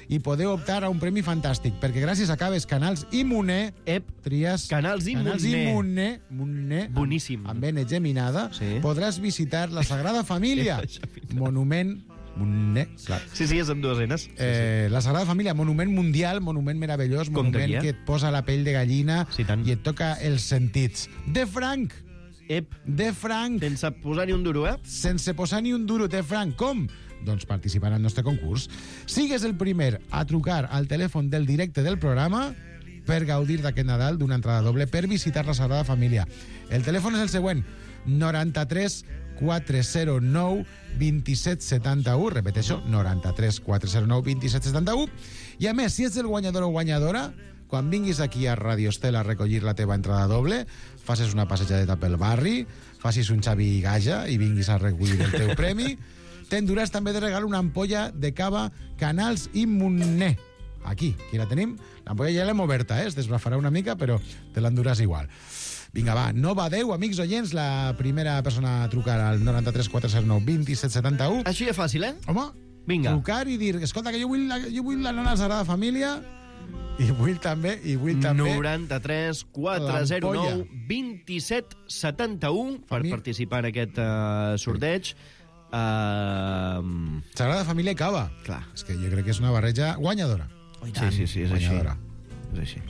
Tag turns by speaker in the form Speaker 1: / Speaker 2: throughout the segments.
Speaker 1: i podeu optar a un premi fantàstic, perquè gràcies a Caves Canals i Moner tries...
Speaker 2: Canals i
Speaker 1: Moner,
Speaker 2: boníssim.
Speaker 1: amb N geminada, podràs visitar la Sagrada Família, monument... clar.
Speaker 2: Sí, és amb dues Ns.
Speaker 1: La Sagrada Família, monument mundial, monument meravellós, monument que et posa la pell de gallina i et toca els sentits. De franc! De franc!
Speaker 2: Sense posar ni un duro,
Speaker 1: Sense posar ni un duro, de franc. Com? Doncs participant al nostre concurs. Sigues el primer a trucar al telèfon del directe del programa per gaudir d'aquest Nadal d'una entrada doble per visitar la Sagrada Família. El telèfon és el següent: 93 409 2771. Repeteixo, 93 409 2771. I a més, si ets el guanyador o guanyadora, quan vinguis aquí a Radio Estel a recollir la teva entrada doble, facis una passejadeta pel barri, facis un Xavi Gaja i vinguis a recollir el teu premi, t'enduràs també de regal una ampolla de cava Canals i Moner. Aquí la tenim. L'ampolla ja l'hem oberta, es desbrafarà una mica, però te l'enduràs igual. Vinga, va, no badeu, amics oients, la primera persona a trucar al 93 409 2771.
Speaker 2: Així de fàcil,
Speaker 1: Home,
Speaker 2: vinga.
Speaker 1: Trucar i dir, escolta, que jo vull l'anar a la Sagrada Família i vull també...
Speaker 2: 93 409 2771 per participar en aquest sorteig.
Speaker 1: Sagrada Família i cava.
Speaker 2: Clar.
Speaker 1: És que jo crec que és una barreja guanyadora.
Speaker 2: Sí, és
Speaker 1: guanyadora.
Speaker 2: És així.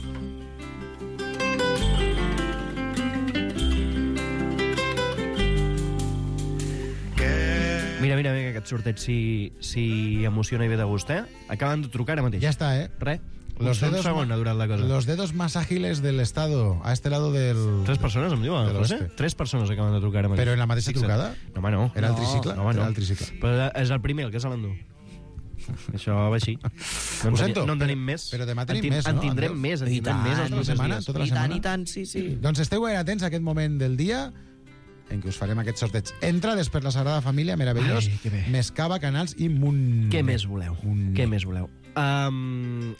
Speaker 2: Mira, aquest sorteig si emociona i ve de gust, Acaben de trucar ara mateix.
Speaker 1: Ja està,
Speaker 2: Res.
Speaker 1: Un
Speaker 2: segon ha durat la cosa.
Speaker 1: Los dedos más ágiles del Estado, a este lado del...
Speaker 2: 3 persones, em diuen, José? 3 persones acaben de trucar ara mateix.
Speaker 1: Però en la mateixa trucada?
Speaker 2: No, home, no.
Speaker 1: Era el tricicle?
Speaker 2: No, home, no.
Speaker 1: Era el tricicle.
Speaker 2: Però és el primer, el que se l'endú. Això va així.
Speaker 1: Ho sento.
Speaker 2: No en tenim més.
Speaker 1: Però demà tenim més, no?
Speaker 2: En tindrem més els propers dies.
Speaker 1: Tota la setmana?
Speaker 3: I tant, sí.
Speaker 1: Doncs esteu ben atents a aquest moment del dia en què us farem aquest sorteig. Entrades per la Sagrada Família, meravellós, més cava, Canals i Moner.
Speaker 2: Què més voleu? Què més voleu?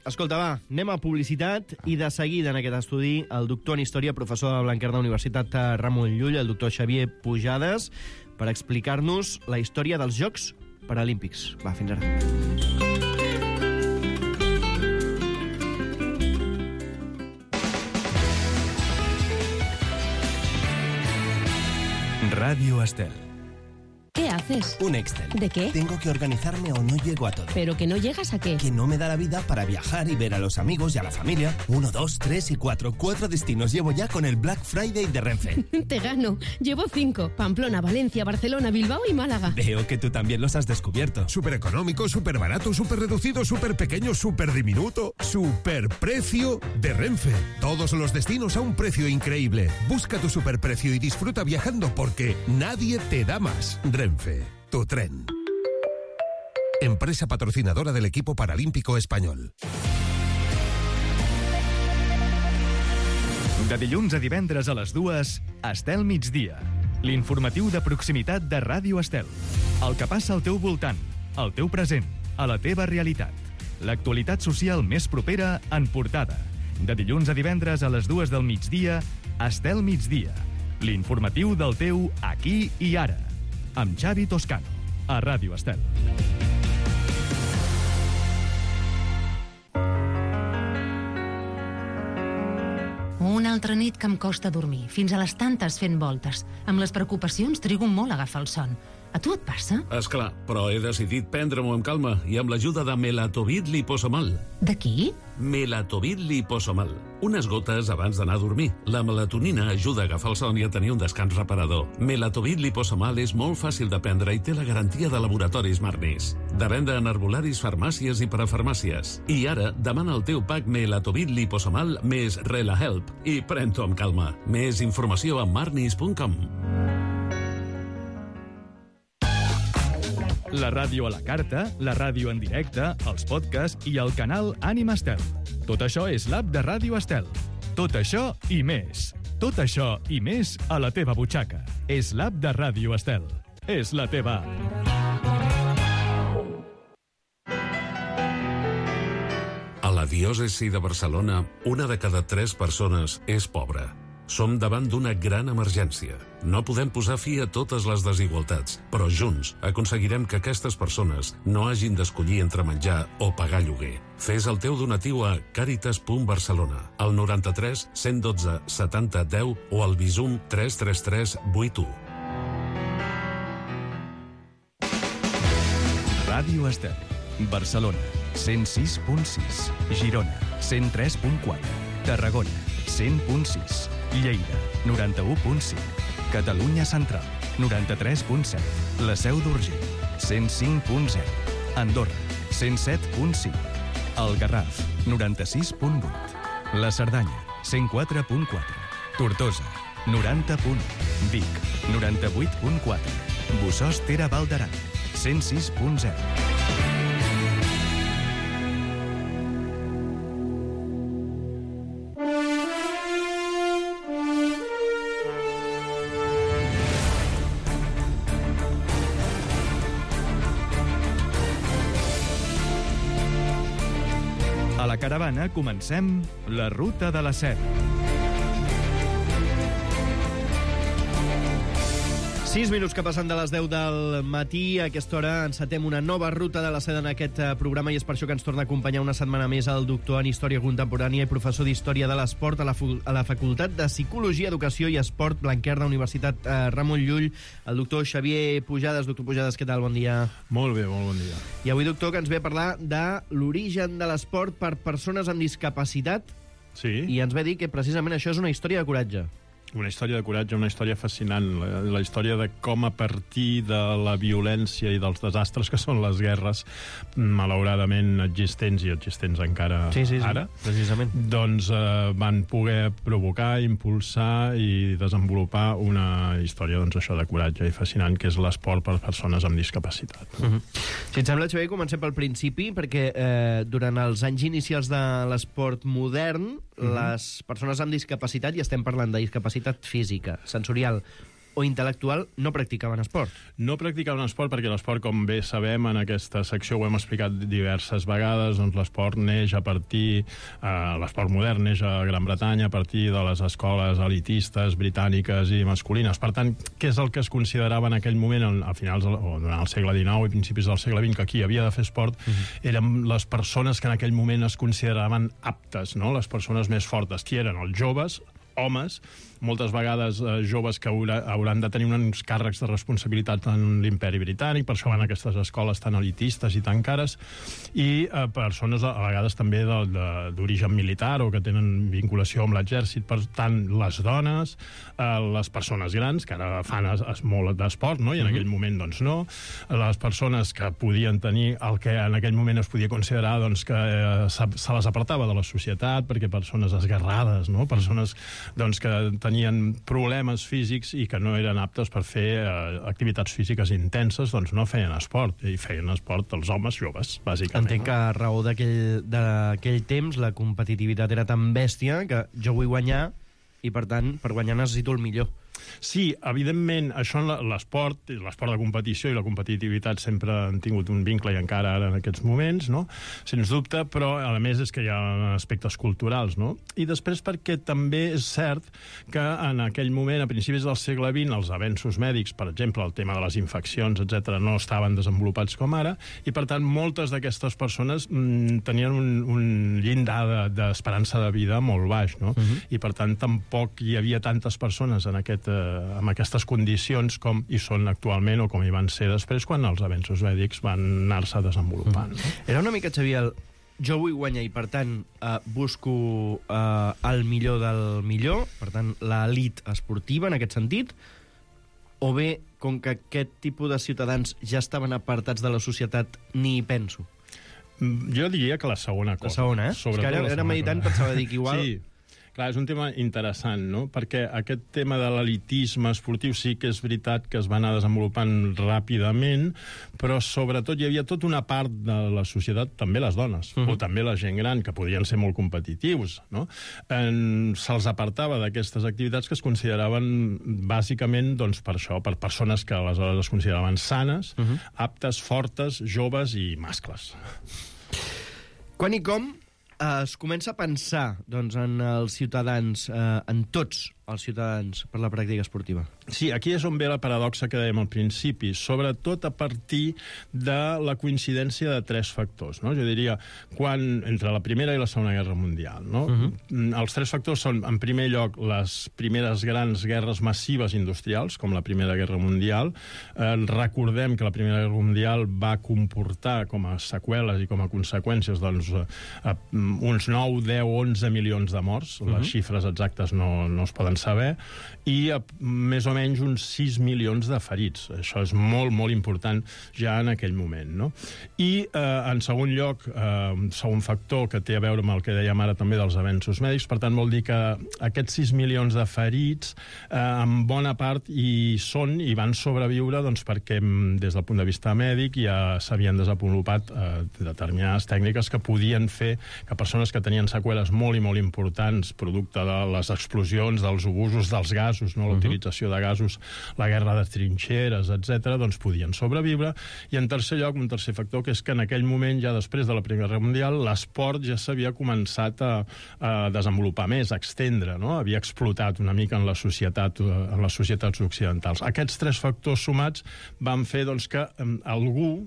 Speaker 2: Escolta, va, anem a publicitat i de seguida en aquest estudi el doctor en Història, professor de la Blanquerna Universitat Ramon Llull, el doctor Xavier Pujades, per explicar-nos la història dels Jocs Paralímpics. Va, fins ara.
Speaker 4: Radio Estel.
Speaker 5: ¿Qué haces?
Speaker 4: Un Excel.
Speaker 5: ¿De qué?
Speaker 4: Tengo que organizarme o no llego a todo.
Speaker 5: ¿Pero que no llegas a qué?
Speaker 4: Que no me da la vida para viajar y ver a los amigos y a la familia. 1, 2, 3 y 4. 4 destinos llevo ya con el Black Friday de Renfe.
Speaker 5: Te gano. Llevo 5. Pamplona, Valencia, Barcelona, Bilbao y Málaga.
Speaker 4: Veo que tú también los has descubierto.
Speaker 6: Súper económico, súper barato, súper reducido, súper pequeño, súper diminuto. Súper precio de Renfe. Todos los destinos a un precio increíble. Busca tu superprecio y disfruta viajando porque nadie te da más. Renfe, tu tren. Empresa patrocinadora del equipo paralímpico español.
Speaker 7: De dilluns a divendres a les 2, Estel Migdia. L'informatiu de proximitat de Ràdio Estel. El que passa al teu voltant, al teu present, a la teva realitat. L'actualitat social més propera en portada. De dilluns a divendres a les 2 del migdia, Estel Migdia. L'informatiu del teu aquí i ara. Amb Xavi Toscano, a Ràdio Estel.
Speaker 8: Una altra nit que em costa dormir, fins a les tantes fent voltes. Amb les preocupacions trigo molt a agafar el son. A tu et passa?
Speaker 9: Esclar, però he decidit prendre-m'ho amb calma i amb l'ajuda de Melatovit Liposomal.
Speaker 8: De qui?
Speaker 9: Melatovit Liposomal. Unes gotes abans d'anar a dormir. La melatonina ajuda a agafar el son i a tenir un descans reparador. Melatovit Liposomal és molt fàcil de prendre i té la garantia de laboratoris Marnis. De venda en herbolaris, farmàcies i parafarmàcies. I ara, demana el teu pack Melatovit Liposomal més RelaHelp i pren-t'ho amb calma. Més informació a marnis.com.
Speaker 7: La ràdio a la carta, la ràdio en directe, els podcasts i el canal Ànima Estel. Tot això és l'app de Ràdio Estel. Tot això i més. Tot això i més a la teva butxaca. És l'app de Ràdio Estel. És la teva app.
Speaker 9: A la diòcesi de Barcelona, 1 de cada 3 persones és pobra. Som davant d'una gran emergència. No podem posar fi a totes les desigualtats, però junts aconseguirem que aquestes persones no hagin d'escollir entre menjar o pagar lloguer. Fes el teu donatiu a caritas.barcelona, al 93 112 70 10 o al Bizum 333 81.
Speaker 7: Ràdio Estel. Barcelona, 106.6. Girona, 103.4. Tarragona, 100.6. Lleida, 91.5. Catalunya Central, 93.7. La Seu d'Urgell, 105.0. Andorra, 107.5. El Garraf, 96.8. La Cerdanya, 104.4. Tortosa, 90.1. Vic, 98.4. Bossòst Tere Val d'Aran, 106.0. A la caravana comencem la ruta de la Seda.
Speaker 2: 6 minuts que passen de les 10 del matí. A aquesta hora encetem una nova ruta de la Seda en aquest programa i és per això que ens torna a acompanyar una setmana més el doctor en Història Contemporània i professor d'Història de l'Esport a la Facultat de Psicologia, Educació i Esport Blanquerna, Universitat Ramon Llull, el doctor Xavier Pujades. Doctor Pujades, què tal? Bon dia.
Speaker 3: Molt bé, molt bon dia.
Speaker 2: I avui, doctor, que ens ve a parlar de l'origen de l'esport per persones amb discapacitat.
Speaker 3: Sí.
Speaker 2: I ens ve a dir que precisament això és una història de coratge.
Speaker 3: Una història de coratge, una història fascinant. La història de com a partir de la violència i dels desastres que són les guerres, malauradament existents i existents encara ara,
Speaker 2: precisament.
Speaker 3: Doncs van poder provocar, impulsar i desenvolupar una història, doncs, això de coratge i fascinant, que és l'esport per persones amb discapacitat.
Speaker 2: Si et sembla, Xavier, comencem pel principi, perquè durant els anys inicials de l'esport modern, les persones amb discapacitat, i estem parlant de discapacitat física, sensorial o intel·lectual, no practicaven esport.
Speaker 3: No practicaven esport perquè l'esport, com bé sabem, en aquesta secció ho hem explicat diverses vegades, doncs l'esport neix a partir, l'esport modern neix a Gran Bretanya a partir de les escoles elitistes britàniques i masculines. Per tant, què és el que es considerava en aquell moment, a finals o durant el segle XIX i principis del segle XX, que qui havia de fer esport eren les persones que en aquell moment es consideraven aptes, no? Les persones més fortes, qui eren els joves, homes, moltes vegades joves que hauran de tenir uns càrrecs de responsabilitat en l'imperi britànic, per això van a aquestes escoles tan elitistes i tan cares, i persones a vegades també d'origen militar o que tenen vinculació amb l'exèrcit. Per tant, les dones, les persones grans, que ara fan molt d'esport, no? I en aquell moment doncs no, les persones que podien tenir el que en aquell moment es podia considerar doncs, que se les apartava de la societat, perquè persones esguerrades, no? Persones doncs, que tenien problemes físics i que no eren aptes per fer activitats físiques intenses, doncs no feien esport, i feien esport els homes joves, bàsicament.
Speaker 2: Entenc que a raó d'aquell temps la competitivitat era tan bèstia que jo vull guanyar i, per tant, per guanyar necessito el millor.
Speaker 3: Sí, evidentment, això en l'esport de competició i la competitivitat sempre han tingut un vincle, i encara ara en aquests moments, no? Sens dubte, però a més és que hi ha aspectes culturals, no? I després perquè també és cert que en aquell moment, a principis del segle XX, els avenços mèdics, per exemple, el tema de les infeccions, etc., no estaven desenvolupats com ara, i per tant moltes d'aquestes persones tenien un llindar d'esperança de vida molt baix, no? I per tant tampoc hi havia tantes persones amb aquestes condicions com hi són actualment o com hi van ser després quan els avenços mèdics van anar-se desenvolupant.
Speaker 2: Era una mica, Xavier, jo vull guanyar i, per tant, busco el millor del millor, per tant, l'elit esportiva en aquest sentit, o bé, com que aquest tipus de ciutadans ja estaven apartats de la societat, ni hi penso?
Speaker 3: Jo diria que la segona cosa.
Speaker 2: La segona, eh? És que ara meditant pensava dir que igual...
Speaker 3: Sí. Clar, és un tema interessant, no? Perquè aquest tema de l'elitisme esportiu sí que és veritat que es va anar desenvolupant ràpidament, però sobretot hi havia tota una part de la societat, també les dones, o també la gent gran, que podien ser molt competitius, no? Se'ls apartava d'aquestes activitats que es consideraven bàsicament, doncs, per això, per persones que aleshores es consideraven sanes, aptes, fortes, joves i mascles.
Speaker 2: Quan i com es comença a pensar en els ciutadans, en tots els ciutadans, per la pràctica esportiva?
Speaker 3: Sí, aquí és on ve la paradoxa que dèiem al principi, sobretot a partir de la coincidència de 3 factors, no? Jo diria, entre la Primera i la Segona Guerra Mundial, no? Els 3 factors són, en primer lloc, les primeres grans guerres massives industrials, com la Primera Guerra Mundial. Recordem que la Primera Guerra Mundial va comportar com a seqüeles i com a conseqüències uns 9, 10, 11 milions de morts. Les xifres exactes no es poden saber, i més o menys uns 6 milions de ferits. Això és molt, molt important ja en aquell moment, no? I, en segon lloc, un segon factor que té a veure amb el que dèiem ara també dels avenços mèdics, per tant, vol dir que aquests 6 milions de ferits, en bona part, hi van sobreviure perquè des del punt de vista mèdic ja s'havien desenvolupat determinades tècniques que podien fer que persones que tenien seqüeles molt i molt importants, producte de les explosions, dels obusos dels gasos, no? La utilització de gasos, la guerra de trinxeres, etc., doncs podien sobreviure. I en tercer lloc, un tercer factor, que és que en aquell moment, ja després de la Primera Guerra Mundial, l'esport ja s'havia començat a desenvolupar més, a extendre, no? Havia explotat una mica en les societats occidentals. Aquests 3 factors sumats van fer que algú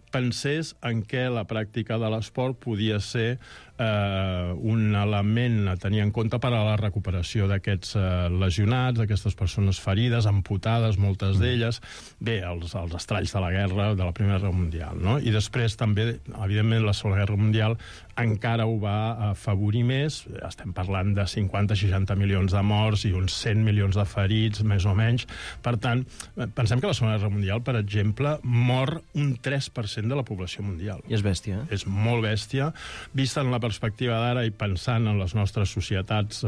Speaker 3: pensés en què la pràctica de l'esport podia ser un element a tenir en compte per a la recuperació d'aquests lesionats, d'aquestes persones ferides, amputades, moltes d'elles, bé, els estralls de la guerra, de la Primera Guerra Mundial, no? I després també, evidentment, la Segona Guerra Mundial encara ho va afavorir més. Estem parlant de 50-60 milions de morts i uns 100 milions de ferits, més o menys. Per tant, pensem que la Segona Guerra Mundial, per exemple, mor un 3% de la població mundial.
Speaker 2: I és bèstia, eh?
Speaker 3: És molt bèstia. Vista en la perspectiva d'ara i pensant en les nostres societats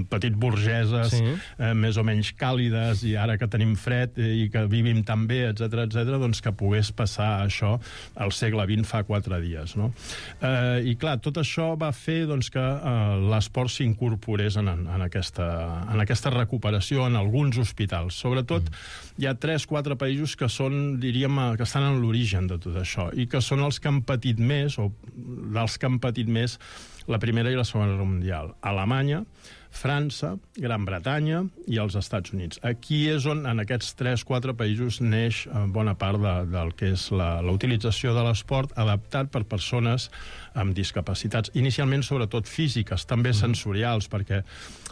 Speaker 3: petit burgeses, més o menys càlides, i ara que tenim fred i que vivim tan bé, etc., doncs que pogués passar això al segle XX fa 4 dies, no? I clar, tot això va fer que l'esport s'incorporés en aquesta recuperació en alguns hospitals. Sobretot hi ha 3-4 països que són, diríem, que estan en l'origen de tot això i que són els que han patit més, o dels que han patit més, la Primera i la Segona Guerra Mundial. Alemanya, França, Gran Bretanya i els Estats Units. Aquí és on, en aquests 3-4 països, neix bona part del que és la utilització de l'esport adaptat per persones amb discapacitats, inicialment sobretot físiques, també sensorials, perquè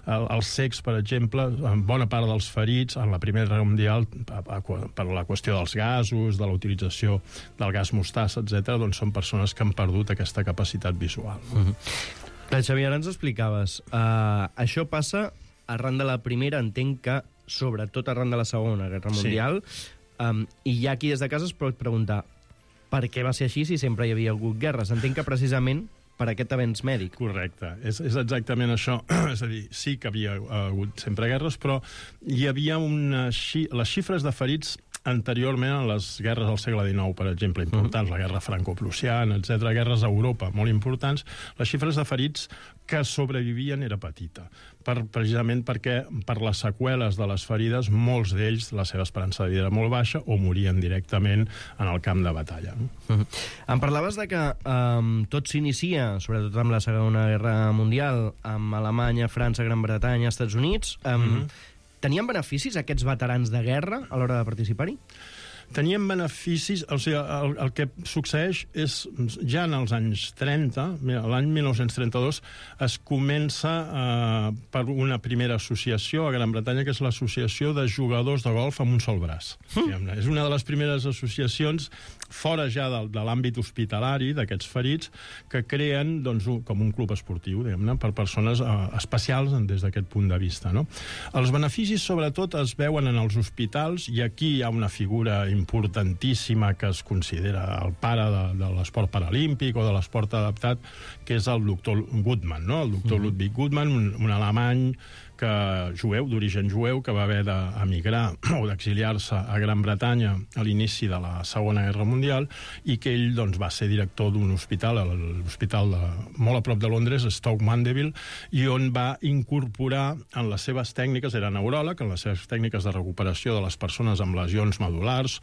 Speaker 3: els cecs, per exemple, bona part dels ferits en la Primera Guerra Mundial, per la qüestió dels gasos, de la utilització del gas mostassa, etc., doncs són persones que han perdut aquesta capacitat visual.
Speaker 2: Xavier, ara ens explicaves. Això passa arran de la Primera, entenc que sobretot arran de la Segona Guerra Mundial, i ja aquí des de casa es pot preguntar per què va ser així si sempre hi havia hagut guerres. Entenc que precisament per aquest avenç mèdic.
Speaker 3: Correcte, és exactament això. És a dir, sí que havia hagut sempre guerres, però hi havia les xifres de ferits anteriorment a les guerres del segle XIX, per exemple, importants, la guerra franco-prussiana, etc., guerres a Europa, molt importants, les xifres de ferits que sobrevivien era petita, precisament perquè per les seqüeles de les ferides, molts d'ells, la seva esperança de vida era molt baixa o morien directament en el camp de batalla.
Speaker 2: Em parlaves de que tot s'inicia, sobretot amb la Segona Guerra Mundial, amb Alemanya, França, Gran Bretanya, Estats Units. Tenien beneficis aquests veterans de guerra a l'hora de participar-hi?
Speaker 3: Tenien beneficis, o sigui, el que succeeix és, ja en els anys 30, l'any 1932, es comença per una primera associació a Gran Bretanya, que és l'Associació de Jugadors de Golf amb un sol braç. És una de les primeres associacions, fora ja de l'àmbit hospitalari d'aquests ferits, que creen com un club esportiu, diguem-ne, per persones especials des d'aquest punt de vista, no? Els beneficis, sobretot, es veuen en els hospitals, i aquí hi ha una figura importantíssima que es considera el pare de l'esport paralímpic o de l'esport adaptat, que és el doctor Guttmann, no? El doctor Ludwig Guttmann, un alemany jueu, d'origen jueu, que va haver d'emigrar o d'exiliar-se a Gran Bretanya a l'inici de la Segona Guerra Mundial, i que ell doncs, va ser director d'un hospital, l'hospital molt a prop de Londres, Stoke Mandeville, i on va incorporar en les seves tècniques, era neuròleg, en les seves tècniques de recuperació de les persones amb lesions medul·lars,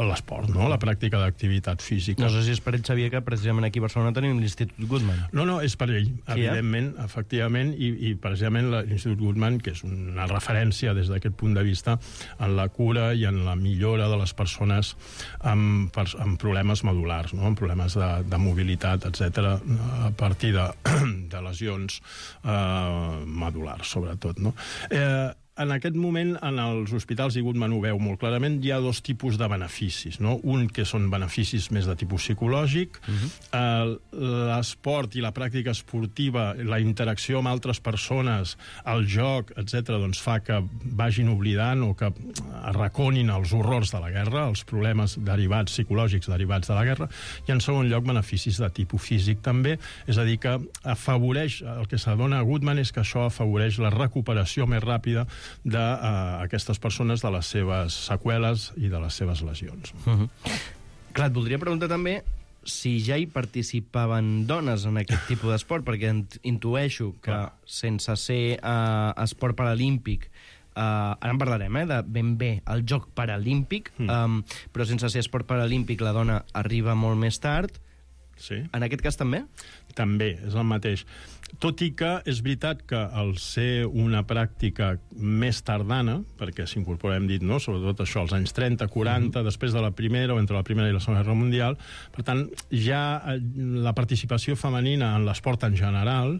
Speaker 3: l'esport, no? La pràctica d'activitat física.
Speaker 2: No sé si és per ell, Xavier, que precisament aquí a Barcelona tenim l'Institut Goodman.
Speaker 3: No, és per ell, evidentment, efectivament, i precisament l'Institut Goodman, que és una referència des d'aquest punt de vista en la cura i en la millora de les persones amb problemes medul·lars, no? Amb problemes de mobilitat, etc., a partir de lesions medul·lars, sobretot, no? En aquest moment, en els hospitals, i Goodman ho veu molt clarament, hi ha dos tipus de beneficis, no? Un que són beneficis més de tipus psicològic, l'esport i la pràctica esportiva, la interacció amb altres persones, el joc, etc., doncs fa que vagin oblidant o que arraconin els horrors de la guerra, els problemes derivats, psicològics derivats de la guerra, i en segon lloc beneficis de tipus físic també, és a dir, que afavoreix, el que s'adona a Goodman és que això afavoreix la recuperació més ràpida d'aquestes persones, de les seves seqüeles i de les seves lesions.
Speaker 2: Clar, et voldria preguntar també si ja hi participaven dones en aquest tipus d'esport, perquè intueixo que sense ser esport paralímpic, ara en parlarem, de ben bé el joc paralímpic, però sense ser esport paralímpic la dona arriba molt més tard.
Speaker 3: Sí.
Speaker 2: En aquest cas també?
Speaker 3: També, és el mateix. Tot i que és veritat que al ser una pràctica més tardana, perquè s'incorpora, hem dit, no? Sobretot això, als anys 30, 40, després de la Primera o entre la Primera i la Segona Guerra Mundial, per tant, ja la participació femenina en l'esport en general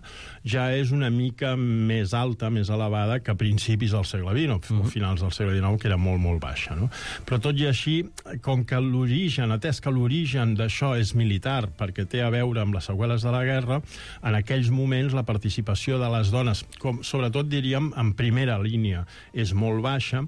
Speaker 3: ja és una mica més alta, més elevada que a principis del segle XX, o finals del segle XIX, que era molt, molt baixa, no? Però tot i així, com que l'origen, atès que l'origen d'això és militar, perquè té a veure amb les seqüeles de la guerra, en aquells moments la participació de les dones, com sobretot diríem en primera línia, és molt baixa,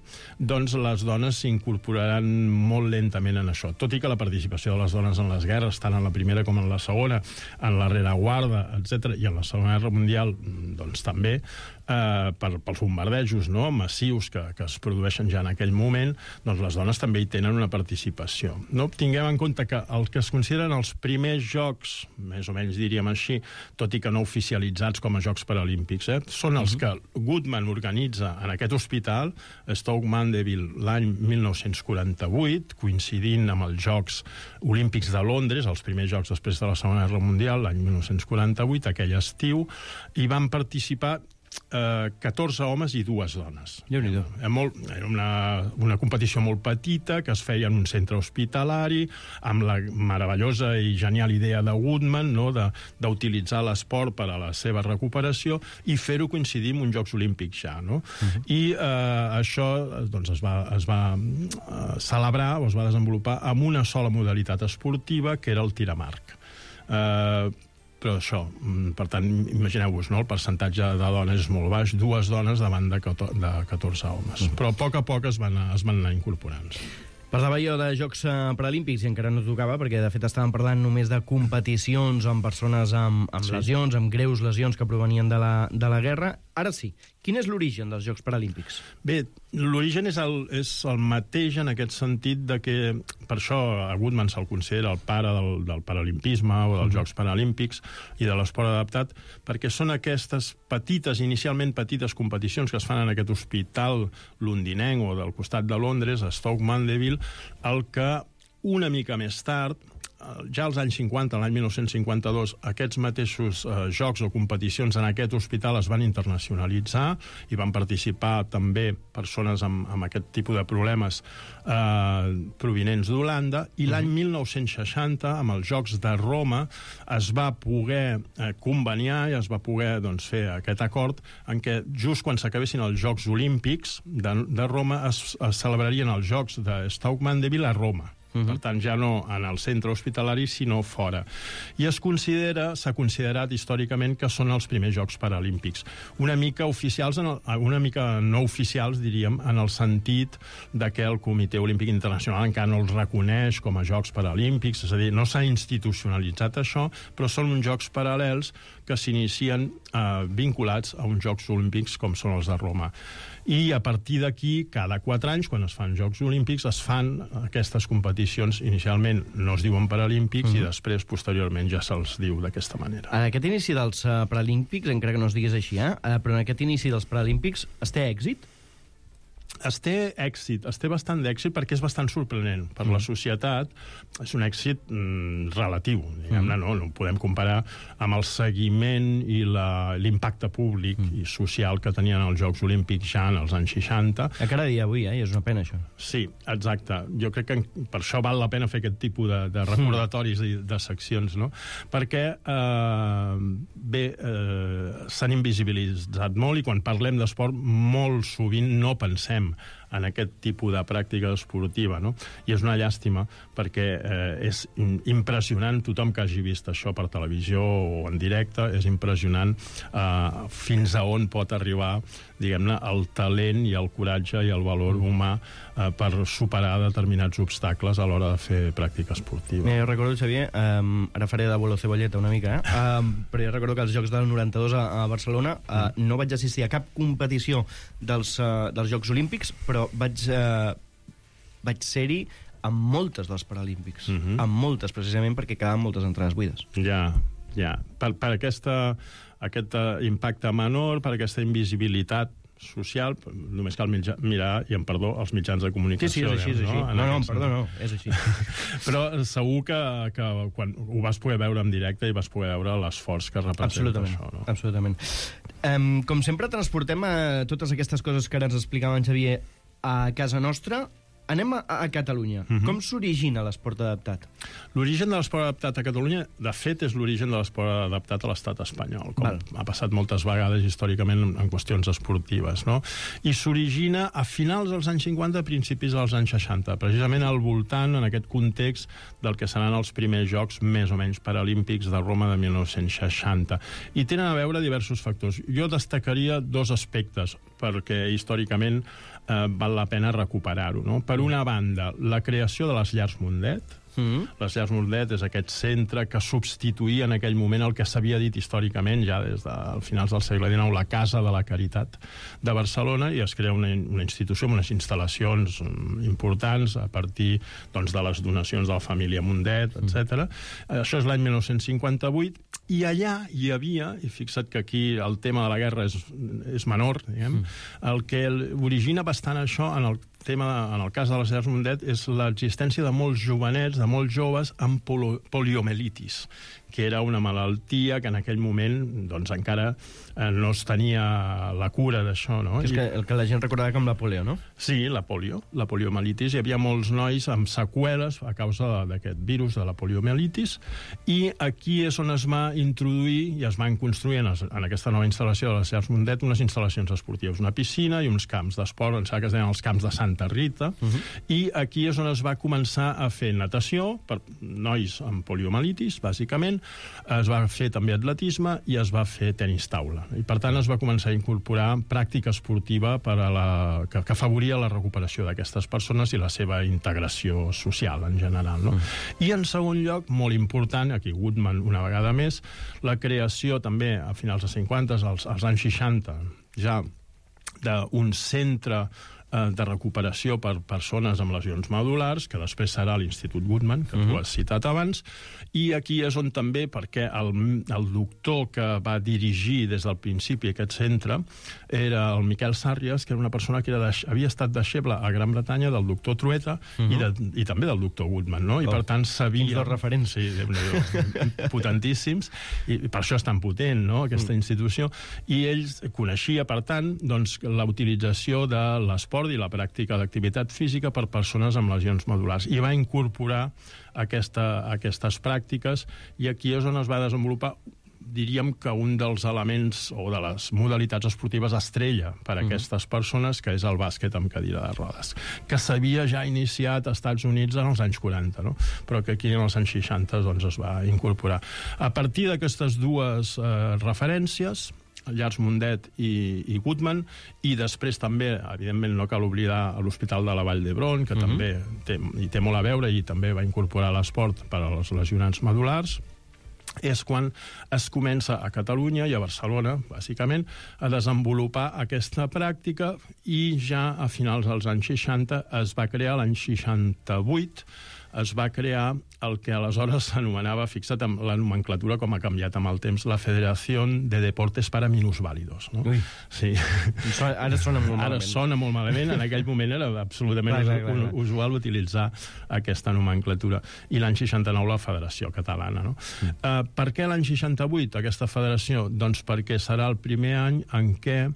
Speaker 3: doncs les dones s'incorporaran molt lentament en això. Tot i que la participació de les dones en les guerres, tant en la Primera com en la Segona, en la rereguarda, etc., i en la Segona Guerra Mundial, doncs també, pels bombardejos, no?, massius que es produeixen ja en aquell moment, doncs les dones també hi tenen una participació. No? Tinguem en compte que el que es consideren els primers jocs, més o menys diríem així, tot i que no oficialitzats com a Jocs Paralímpics, són els que Goodman organitza en aquest hospital, Stoke Mandeville, l'any 1948, coincidint amb els Jocs Olímpics de Londres, els primers jocs després de la Segona Guerra Mundial, l'any 1948, aquell estiu, i van participar 14 homes i 2 dones. Era una competició molt petita que es feia en un centre hospitalari, amb la meravellosa i genial idea de Goodman, no?, d'utilitzar l'esport per a la seva recuperació i fer-ho coincidir amb uns Jocs Olímpics ja, no? I això doncs, es va celebrar o es va desenvolupar amb una sola modalitat esportiva, que era el tir amb arc. Però això, per tant, imagineu-vos, no? El percentatge de dones és molt baix, 2 dones davant de 14 homes. Però a poc es van anar incorporant.
Speaker 2: Parlava jo de Jocs Paralímpics i encara no tocava, perquè de fet estàvem parlant només de competicions amb persones amb lesions, amb greus lesions que provenien de la guerra. Ara sí, quin és l'origen dels Jocs Paralímpics?
Speaker 3: Bé, l'origen és el mateix en aquest sentit de que, per això a Goodman se'l considera el pare del paralimpisme o dels Jocs Paralímpics i de l'esport adaptat, perquè són aquestes inicialment petites competicions que es fan en aquest hospital londinenc o del costat de Londres, a Stoke Mandeville, el que una mica més tard, ja als anys 50, l'any 1952, aquests mateixos jocs o competicions en aquest hospital es van internacionalitzar i van participar també persones amb aquest tipus de problemes provinents d'Holanda, i l'any 1960, amb els Jocs de Roma, es va poder conveniar i es va poder fer aquest acord en què just quan s'acabessin els Jocs Olímpics de Roma es celebrarien els Jocs de Stoke Mandeville a Roma. Per tant, ja no en el centre hospitalari, sinó fora. I s'ha considerat històricament que són els primers Jocs Paralímpics. Una mica oficials, una mica no oficials, diríem, en el sentit de que el Comitè Olímpic Internacional encara no els reconeix com a Jocs Paralímpics, és a dir, no s'ha institucionalitzat això, però són uns jocs paral·lels que s'inicien vinculats a uns Jocs Olímpics com són els de Roma. I a partir d'aquí, cada 4 anys, quan es fan Jocs Olímpics, es fan aquestes competicions. Inicialment no es diuen Paralímpics i després, posteriorment, ja se'ls diu d'aquesta manera.
Speaker 2: En aquest inici dels Paralímpics, encara que no es digués així, però en aquest inici dels Paralímpics es té èxit?
Speaker 3: Es té èxit, es té bastant d'èxit perquè és bastant sorprenent. Per la societat és un èxit relatiu, diguem-ne, no ho podem comparar amb el seguiment i l'impacte públic i social que tenien els Jocs Olímpics ja en els anys 60.
Speaker 2: Encara dia avui, i és una pena, això.
Speaker 3: Sí, exacte. Jo crec que per això val la pena fer aquest tipus de recordatoris i de seccions, no? Perquè, s'han invisibilitzat molt i quan parlem d'esport molt sovint no pensem en aquest tipus de pràctica esportiva, no? I és una llàstima perquè és impressionant, tothom que hagi vist això per televisió o en directe, és impressionant fins a on pot arribar, diguem-ne, el talent i el coratge i el valor humà per superar determinats obstacles a l'hora de fer pràctica esportiva.
Speaker 2: Jo recordo, Xavier, ara faré d'abuelo cebolleta una mica, però jo recordo que als Jocs del 92 a Barcelona no vaig assistir a cap competició dels Jocs Olímpics, però vaig ser-hi amb moltes dels Paralímpics, amb moltes, precisament perquè quedaven moltes entrades buides.
Speaker 3: Ja. Per aquest impacte menor, per aquesta invisibilitat social, només cal mirar, i em perdó, els mitjans de comunicació.
Speaker 2: Sí, és així. No, és així.
Speaker 3: Però segur que quan ho vas poder veure en directe i vas poder veure l'esforç que representa això. No?
Speaker 2: Absolutament. Com sempre, transportem totes aquestes coses que ara ens explicava en Xavier a casa nostra. Anem a Catalunya. Com s'origina l'esport adaptat?
Speaker 3: L'origen de l'esport adaptat a Catalunya, de fet, és l'origen de l'esport adaptat a l'estat espanyol, com ha passat moltes vegades històricament en qüestions esportives, no? I s'origina a finals dels anys 50, a principis dels anys 60, precisament al voltant, en aquest context, del que seran els primers Jocs més o menys paralímpics de Roma de 1960. I tenen a veure diversos factors. Jo destacaria 2 aspectes, perquè històricament val la pena recuperar-ho, no? Per una banda, la creació de les llars Mundet. Les llars Mundet és aquest centre que substituïa en aquell moment el que s'havia dit històricament, ja des de finals del segle XIX, la Casa de la Caritat de Barcelona, i es crea una institució amb unes instal·lacions importants a partir de les donacions de la família Mundet, etc. Això és l'any 1958, i allà hi havia, i fixa't que aquí el tema de la guerra és menor, diguem, el que origina bastant això en el cas de les llars Mundet és l'existència de molts jovenets, de molts joves amb poliomielitis, que era una malaltia que en aquell moment encara no es tenia la cura d'això, no?
Speaker 2: És el que la gent recordava com la polio, no?
Speaker 3: Sí, la poliomielitis. Hi havia molts nois amb seqüeles a causa d'aquest virus de la poliomielitis, i aquí és on es va introduir i es van construir en aquesta nova instal·lació de les llars Mundet unes instal·lacions esportives, una piscina i uns camps d'esport, em sembla que es deien els camps de Santa Rita, i aquí és on es va començar a fer natació per nois amb poliomielitis, bàsicament. Es va fer també atletisme i es va fer tenis taula. I per tant es va començar a incorporar pràctica esportiva que afavoria la recuperació d'aquestes persones i la seva integració social en general, no? I en segon lloc, molt important, aquí Goodman una vegada més, la creació també a finals dels 50, als anys 60, ja d'un centre de recuperació per persones amb lesions medul·lars, que després serà l'Institut Goodman, que tu has citat abans, i aquí és on també, perquè el doctor que va dirigir des del principi aquest centre era el Miquel Sàrries, que era una persona que havia estat deixeble a Gran Bretanya del doctor Trueta i també del doctor Goodman, no? I per tant sabia...
Speaker 2: Quins dos referents.
Speaker 3: Sí, potentíssims, i per això és tan potent, no?, aquesta institució. I ell coneixia, per tant, la utilització de l'esport i la pràctica d'activitat física per persones amb lesions medul·lars. I va incorporar aquestes pràctiques, i aquí és on es va desenvolupar, diríem que un dels elements o de les modalitats esportives estrella per a aquestes persones, que és el bàsquet amb cadira de rodes, que s'havia ja iniciat als Estats Units en els anys 40, no? Però que aquí en els anys 60 es va incorporar. A partir d'aquestes dues referències, Llars Mundet i Goodman, i després també, evidentment, no cal oblidar l'Hospital de la Vall d'Hebron, que també hi té molt a veure i també va incorporar l'esport per a les lesionats medul·lars. és quan es comença a Catalunya i a Barcelona, bàsicament, a desenvolupar aquesta pràctica i ja a finals dels anys 60 es va crear, l'any 68, es va crear el que aleshores s'anomenava, fixa't amb la nomenclatura com ha canviat amb el temps, la Federación de Deportes para Minusválidos. No?
Speaker 2: Ui.
Speaker 3: Sí.
Speaker 2: Ara sona molt malament.
Speaker 3: Ara sona molt malament, en aquell moment era absolutament usual utilitzar aquesta nomenclatura. I l'any 69 la Federació Catalana. No? Per què l'any 68 aquesta federació? Doncs perquè serà el primer any en què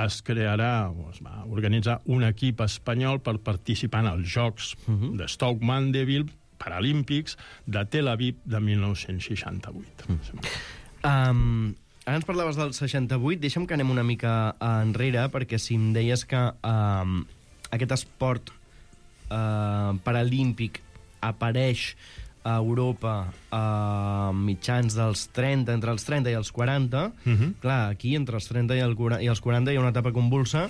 Speaker 3: es crearà, o es va organitzar un equip espanyol per participar en els Jocs de Stoke Mandeville Paralímpics de Tel Aviv de 1968.
Speaker 2: Ara ens parlaves del 68, deixa'm que anem una mica enrere, perquè si em deies que aquest esport paralímpic apareix a Europa a mitjans dels 30, entre els 30 i els 40, clar, aquí entre els 30 i els 40 hi ha una etapa convulsa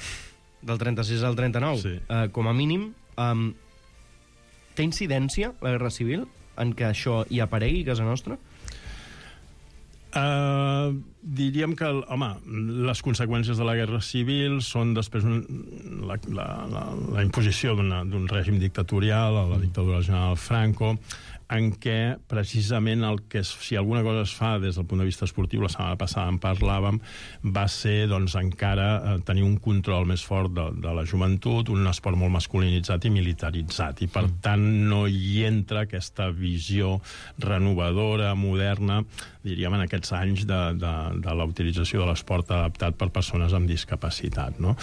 Speaker 2: del 36 al 39, sí. Com a mínim. Té incidència la Guerra Civil en què això hi aparegui a casa nostra?
Speaker 3: Diríem que, home, les conseqüències de la Guerra Civil són després la imposició d'un règim dictatorial, la dictadura del general Franco, en què precisament si alguna cosa es fa des del punt de vista esportiu, la setmana passada en parlàvem, va ser doncs, encara tenir un control més fort de la joventut, un esport molt masculinitzat i militaritzat, i per tant no hi entra aquesta visió renovadora, moderna, diríem en aquests anys de la utilització de l'esport adaptat per persones amb discapacitat. No?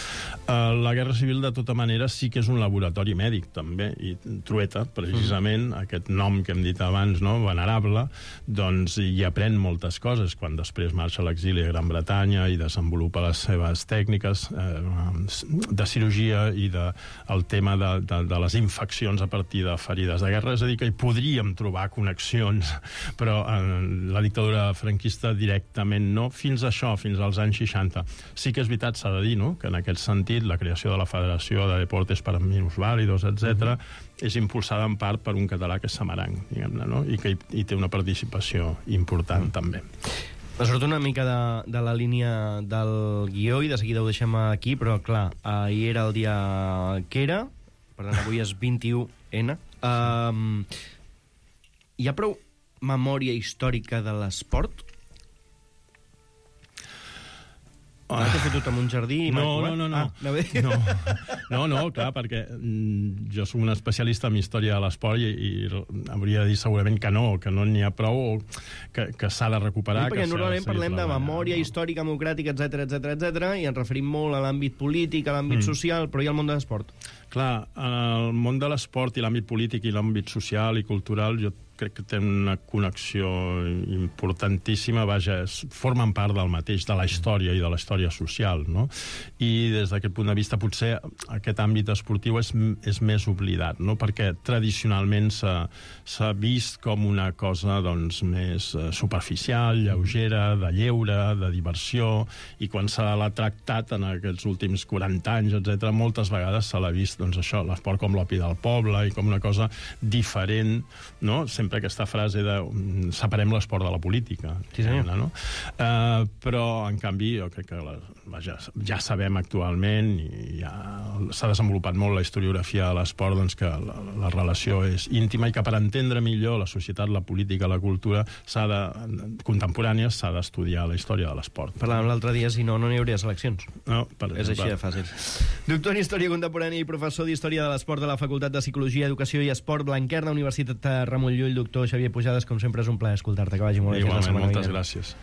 Speaker 3: La Guerra Civil, de tota manera, sí que és un laboratori mèdic, també, i Trueta, precisament, aquest nom que hem dit abans, no? Venerable, doncs hi aprèn moltes coses quan després marxa a l'exili a Gran Bretanya i desenvolupa les seves tècniques de cirurgia i el tema de les infeccions a partir de ferides de guerra. És a dir, que hi podríem trobar connexions, però la dictadura franquista directament no. Fins a això, fins als anys 60. Sí que és veritat, s'ha de dir, no? Que en aquest sentit la creació de la Federació de Deportes para Minusválidos, etc., és impulsada en part per un català que és Samaranc, diguem-ne, no? I que hi té una participació important, també.
Speaker 2: Me surt una mica de la línia del guió i de seguida ho deixem aquí, però, clar, ahir era el dia que era, per tant, avui és 21N. Hi ha prou memòria històrica de l'esport? Ara t'he fotut en un jardí i
Speaker 3: No, clar, perquè jo soc un especialista en història de l'esport i hauria de dir segurament que no n'hi ha prou, que s'ha de recuperar.
Speaker 2: Sí, perquè normalment parlem de memòria històrica, democràtica, etc, i ens referim molt a l'àmbit polític, a l'àmbit social, però hi ha el món de l'esport.
Speaker 3: Clar, el món de l'esport i l'àmbit polític i l'àmbit social i cultural, jo crec que tenen una connexió importantíssima, vaja, formen part del mateix, de la història i de la història social, no? I des d'aquest punt de vista potser aquest àmbit esportiu és més oblidat, no? Perquè tradicionalment s'ha vist com una cosa doncs, més superficial, lleugera, de lleure, de diversió, i quan se l'ha tractat en aquests últims 40 anys, etc., moltes vegades se l'ha vist doncs, això, l'esport com l'opi del poble i com una cosa diferent, no? Sempre aquesta frase de separem l'esport de la política.
Speaker 2: Sí, senyor.
Speaker 3: No? Però, en canvi, jo crec que ja sabem actualment i ja s'ha desenvolupat molt la historiografia de l'esport, doncs que la relació és íntima i que per entendre millor la societat, la política, la cultura contemporània s'ha d'estudiar la història de l'esport.
Speaker 2: Parlàvem l'altre dia, si no hi hauria seleccions.
Speaker 3: No, per exemple.
Speaker 2: És així de fàcil. Doctor en Història Contemporània i professor d'Història de l'Esport de la Facultat de Psicologia, Educació i Esport Blanquerna, Universitat Ramon Llull. Doctor Xavier Pujades, com sempre és un plaer escoltar-te. Que vagi molt bé.
Speaker 3: Igualment, moltes gràcies.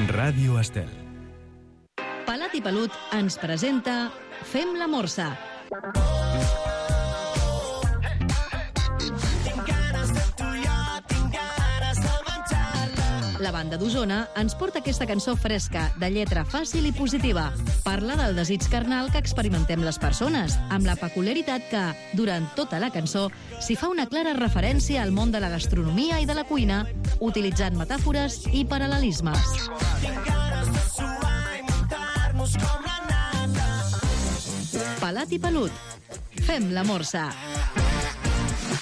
Speaker 7: Ràdio Estel.
Speaker 5: Palat i Pelut ens presenta Fem la Morsa. La banda d'Osona ens porta aquesta cançó fresca, de lletra fàcil i positiva. Parla del desig carnal que experimentem les persones, amb la peculiaritat que, durant tota la cançó, s'hi fa una clara referència al món de la gastronomia i de la cuina, utilitzant metàfores i paral·lelismes. Pelat i pelut. Fem la morsa.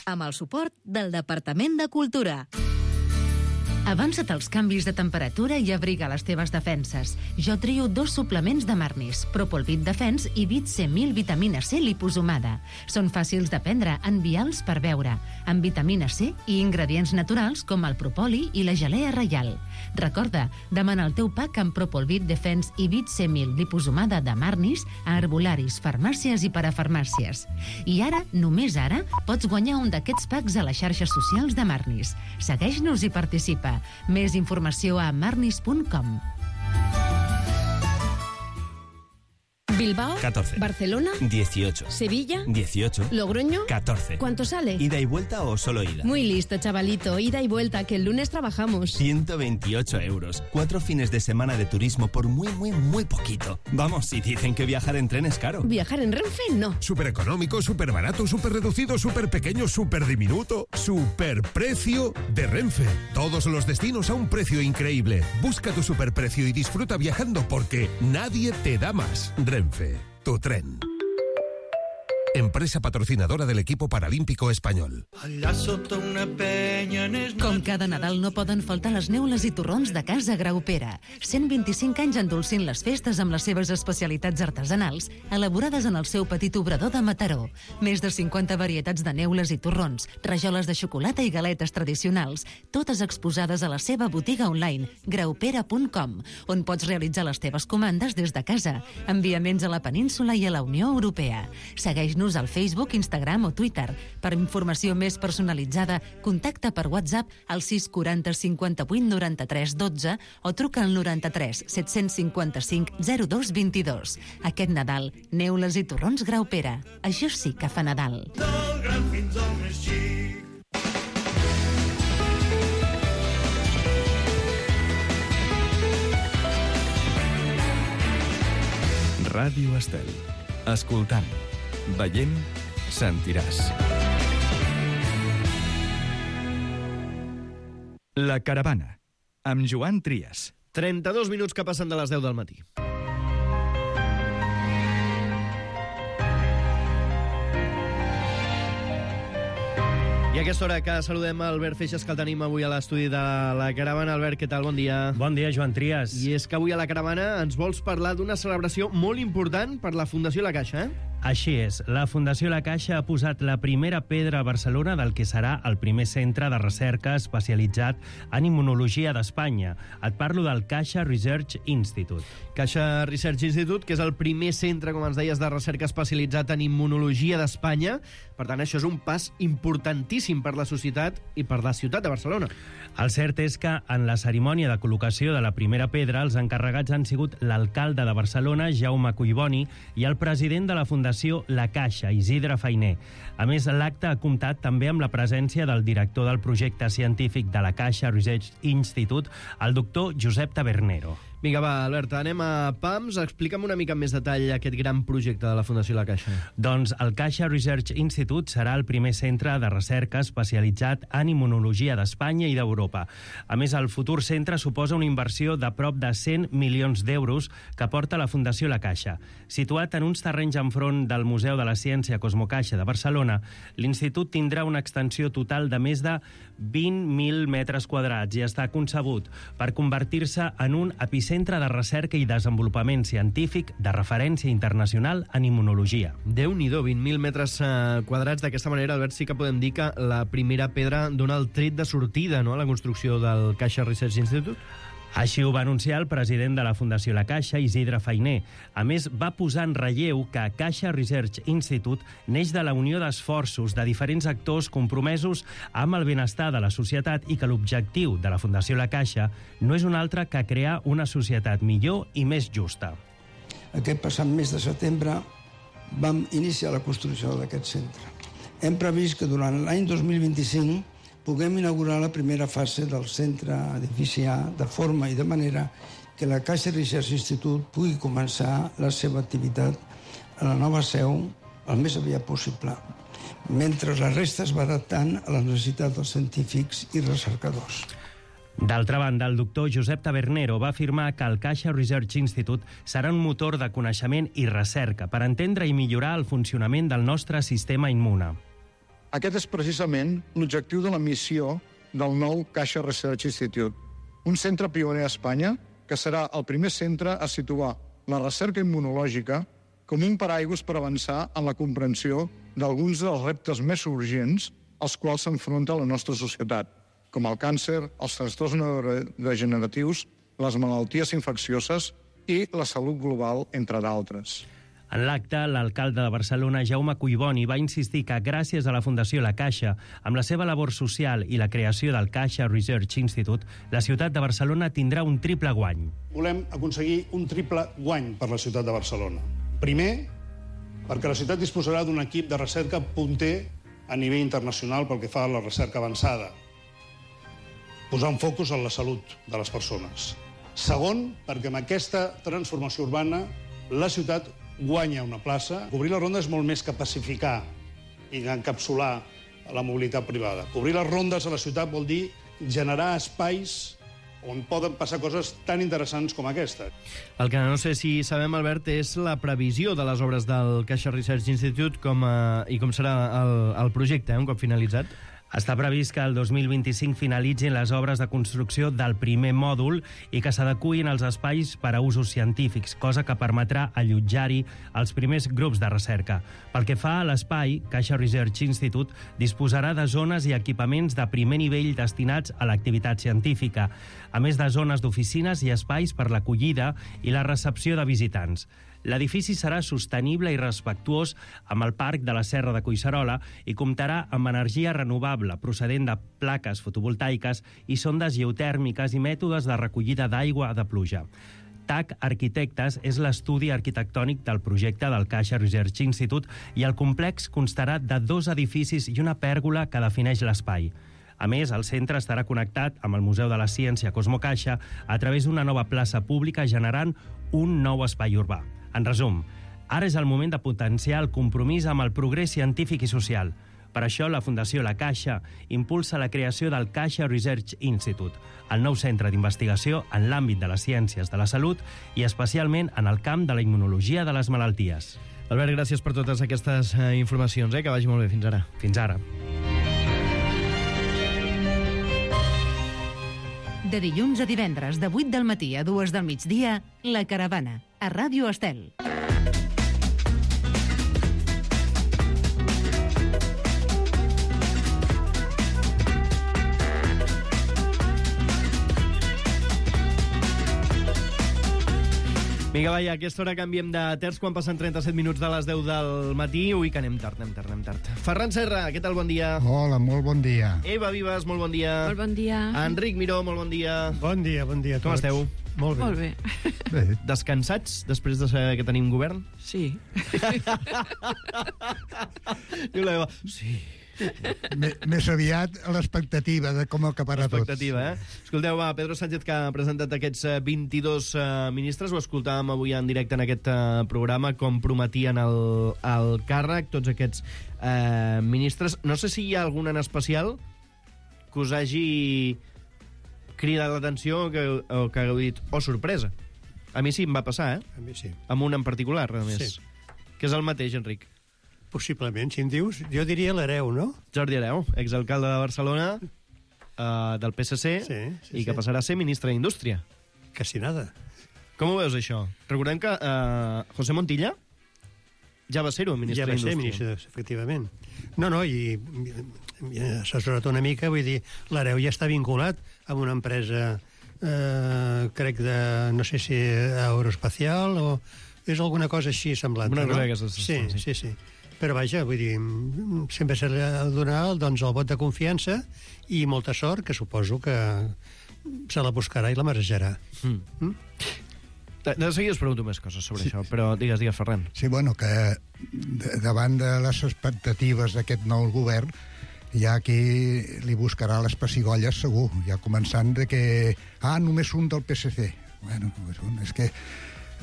Speaker 5: Amb el suport del Departament de Cultura.
Speaker 8: Avança't als canvis de temperatura i abriga les teves defenses. Jo trio 2 suplements de Marnis, Propolvit Defense i Vit C1000 vitamina C liposomada. Són fàcils de prendre, envials per beure, amb vitamina C i ingredients naturals com el propoli i la gelea reial. Recorda, demana el teu pack amb Propolvit Defense i Vit C1000 liposomada de Marnis a herbolaris, farmàcies i parafarmàcies. I ara, només ara, pots guanyar un d'aquests packs a les xarxes socials de Marnis. Segueix-nos i participa. Més informació a marnis.com.
Speaker 10: Bilbao,
Speaker 4: 14.
Speaker 10: Barcelona,
Speaker 4: 18.
Speaker 10: Sevilla,
Speaker 4: 18.
Speaker 10: Logroño,
Speaker 4: 14.
Speaker 10: ¿Cuánto sale?
Speaker 4: ¿Ida y vuelta o solo ida?
Speaker 10: Muy listo, chavalito. Ida y vuelta, que el lunes trabajamos.
Speaker 4: 128 euros. 4 fines de semana de turismo por muy poquito. Vamos, si dicen que viajar en tren es caro.
Speaker 10: ¿Viajar en Renfe? No.
Speaker 6: Súper económico, súper barato, súper reducido, súper pequeño, súper diminuto. Superprecio de Renfe. Todos los destinos a un precio increíble. Busca tu superprecio y disfruta viajando porque nadie te da más. Renfe, tu tren. Empresa patrocinadora del equipo paralímpico espanyol.
Speaker 8: Com cada Nadal no poden faltar les neules i torrons de Casa Graupera. 125 anys endolcint les festes amb les seves especialitats artesanals, elaborades en el seu petit obrador de Mataró. Més de 50 varietats de neules i torrons, rajoles de xocolata i galetes tradicionals, totes exposades a la seva botiga online, graupera.com, on pots realitzar les teves comandes des de casa, enviaments a la península i a la Unió Europea. Segueix-nos al Facebook, Instagram o Twitter. Per informació més personalitzada, contacta per WhatsApp al 640 58 93 12 o truca al 93 755 02 22. Aquest Nadal, neules i torrons Graupera. Això sí que fa Nadal.
Speaker 7: Ràdio Estel. Escoltant. Veient, sentiràs. La Caravana, amb Joan Trias.
Speaker 2: 32 minuts que passen de les 10 del matí. I a aquesta hora que saludem Albert Feixas, que el tenim avui a l'estudi de la Caravana. Albert, què tal? Bon dia.
Speaker 11: Bon dia, Joan Trias.
Speaker 2: I és que avui a la Caravana ens vols parlar d'una celebració molt important per la Fundació La Caixa, eh?
Speaker 11: Així és. La Fundació La Caixa ha posat la primera pedra a Barcelona del que serà el primer centre de recerca especialitzat en immunologia d'Espanya. Et parlo del Caixa Research Institute.
Speaker 2: Caixa Research Institute, que és el primer centre, com ens deies, de recerca especialitzat en immunologia d'Espanya. Per tant, això és un pas importantíssim per la societat i per la ciutat de Barcelona.
Speaker 11: El cert és que en la cerimònia de col·locació de la primera pedra els encarregats han sigut l'alcalde de Barcelona, Jaume Collboni, i el president de la Fundació La Caixa, Isidre Fainé. A més, l'acte ha comptat també amb la presència del director del projecte científic de la Caixa Research Institute, el doctor Josep Tabernero.
Speaker 2: Vinga, va, Albert, anem a PAMS. Explica'm una mica en més detall aquest gran projecte de la Fundació La Caixa.
Speaker 11: Doncs el Caixa Research Institute serà el primer centre de recerca especialitzat en immunologia d'Espanya i d'Europa. A més, el futur centre suposa una inversió de prop de 100 milions d'euros que porta la Fundació La Caixa. Situat en uns terrenys enfront del Museu de la Ciència Cosmocaixa de Barcelona, l'institut tindrà una extensió total de més de 20.000 metres quadrats i està concebut per convertir-se en un epicentre de recerca i desenvolupament científic de referència internacional en immunologia.
Speaker 2: Déu-n'hi-do, 20.000 metres quadrats. D'aquesta manera, Albert, sí que podem dir que la primera pedra dona el tret de sortida, no?, a la construcció del Caixa Research Institute.
Speaker 11: Així ho va anunciar el president de la Fundació La Caixa, Isidre Fainé. A més, va posar en relleu que Caixa Research Institute neix de la unió d'esforços de diferents actors compromesos amb el benestar de la societat i que l'objectiu de la Fundació La Caixa no és un altre que crear una societat millor i més justa.
Speaker 12: Aquest passat mes de setembre vam iniciar la construcció d'aquest centre. Hem previst que durant l'any 2025 puguem inaugurar la primera fase del centre edifici A de forma i de manera que la Caixa Research Institute pugui començar la seva activitat a la nova seu el més aviat possible, mentre la resta es va adaptant a les necessitats dels científics i recercadors.
Speaker 11: D'altra banda, el doctor Josep Tabernero va afirmar que el Caixa Research Institute serà un motor de coneixement i recerca per entendre i millorar el funcionament del nostre sistema immune.
Speaker 13: Aquest és precisament l'objectiu de la missió del nou Caixa Research Institute, un centre pioner a Espanya que serà el primer centre a situar la recerca immunològica com un paraigües per avançar en la comprensió d'alguns dels reptes més urgents als quals s'enfronta la nostra societat, com el càncer, els trastorns neurodegeneratius, les malalties infeccioses i la salut global, entre d'altres.
Speaker 11: En l'acte, l'alcalde de Barcelona, Jaume Collboni, va insistir que gràcies a la Fundació La Caixa, amb la seva labor social i la creació del Caixa Research Institute, la ciutat de Barcelona tindrà un triple guany.
Speaker 14: Volem aconseguir un triple guany per la ciutat de Barcelona. Primer, perquè la ciutat disposarà d'un equip de recerca punter a nivell internacional pel que fa a la recerca avançada. Posar un focus en la salut de les persones. Segon, perquè amb aquesta transformació urbana la ciutat guanya una plaça. Cobrir la ronda és molt més que pacificar i encapsular la mobilitat privada. Cobrir les rondes a la ciutat vol dir generar espais on poden passar coses tan interessants com aquesta.
Speaker 2: El que no sé si sabem, Albert, és la previsió de les obres del Caixa Research Institute i com serà el projecte, un cop finalitzat.
Speaker 11: Està previst que el 2025 finalitzin les obres de construcció del primer mòdul i que s'adecuïn els espais per a usos científics, cosa que permetrà allotjar-hi els primers grups de recerca. Pel que fa a l'espai, Caixa Research Institute disposarà de zones i equipaments de primer nivell destinats a l'activitat científica, a més de zones d'oficines i espais per l'acollida i la recepció de visitants. L'edifici serà sostenible i respectuós amb el Parc de la Serra de Collserola i comptarà amb energia renovable procedent de plaques fotovoltaiques i sondes geotèrmiques i mètodes de recollida d'aigua de pluja. TAC Arquitectes és l'estudi arquitectònic del projecte del Caixa Research Institute i el complex constarà de 2 edificis i una pèrgola que defineix l'espai. A més, el centre estarà connectat amb el Museu de la Ciència Cosmo Caixa a través d'una nova plaça pública generant un nou espai urbà. En resum, ara és el moment de potenciar el compromís amb el progrés científic i social. Per això, la Fundació La Caixa impulsa la creació del Caixa Research Institute, el nou centre d'investigació en l'àmbit de les ciències de la salut i especialment en el camp de la immunologia de les malalties.
Speaker 2: Albert, gràcies per totes aquestes informacions, que vagi molt bé. Fins ara.
Speaker 11: Fins ara.
Speaker 8: De dilluns a divendres, de 8 del matí a 2 del migdia, La Caravana, a Ràdio Estel.
Speaker 2: Vinga, va, a aquesta hora canviem de terç quan passen 37 minuts de les 10 del matí. Ui, que anem tard. Ferran Serra, què tal? Bon dia.
Speaker 15: Hola, molt bon dia.
Speaker 2: Eva Vives, molt bon dia.
Speaker 10: Molt bon dia.
Speaker 2: Enric Miró, molt bon dia.
Speaker 15: Bon dia a tots.
Speaker 2: Com esteu?
Speaker 15: Molt bé.
Speaker 10: Molt bé.
Speaker 15: Bé.
Speaker 2: Descansats, després de saber que tenim govern?
Speaker 10: Sí.
Speaker 2: Diu l'Eva, sí.
Speaker 15: Més aviat a l'expectativa de com acabarà tot.
Speaker 2: Expectativa, Escolteu, va, Pedro Sánchez, que ha presentat aquests 22 ministres, ho escoltàvem avui en directe en aquest programa, com prometien el càrrec, tots aquests ministres. No sé si hi ha algun en especial que us hagi cridat l'atenció o que hagueu dit, sorpresa. A mi sí em va passar,
Speaker 15: A mi sí.
Speaker 2: Amb un en particular, a més.
Speaker 15: Sí.
Speaker 2: Que és el mateix, Enric.
Speaker 15: Possiblement, si em dius, jo diria l'Hereu, no?
Speaker 2: Jordi Hereu, exalcalde de Barcelona, del PSC, i que passarà a ser ministre d'Indústria.
Speaker 15: Casi nada.
Speaker 2: Com ho veus, això? Recordem que José Montilla ja va ser-ho, ministre d'Indústria.
Speaker 15: Ja va ser ministre, efectivament. No, i s'ha assessorat una mica, vull dir, l'Hereu ja està vinculat amb una empresa, crec no sé si aeroespacial o és alguna cosa així semblant.
Speaker 2: Una cosa que
Speaker 15: sí. Però vaja, vull dir, sempre se li ha de donar doncs, el vot de confiança i molta sort, que suposo que se la buscarà i la marejarà.
Speaker 2: De seguida us pregunto més coses sobre això, però digues, Ferran.
Speaker 15: Sí, bueno, que davant de les expectatives d'aquest nou govern,
Speaker 16: ja aquí li buscarà les pessigolles segur, ja començant de que només un del PSC. Bueno, és que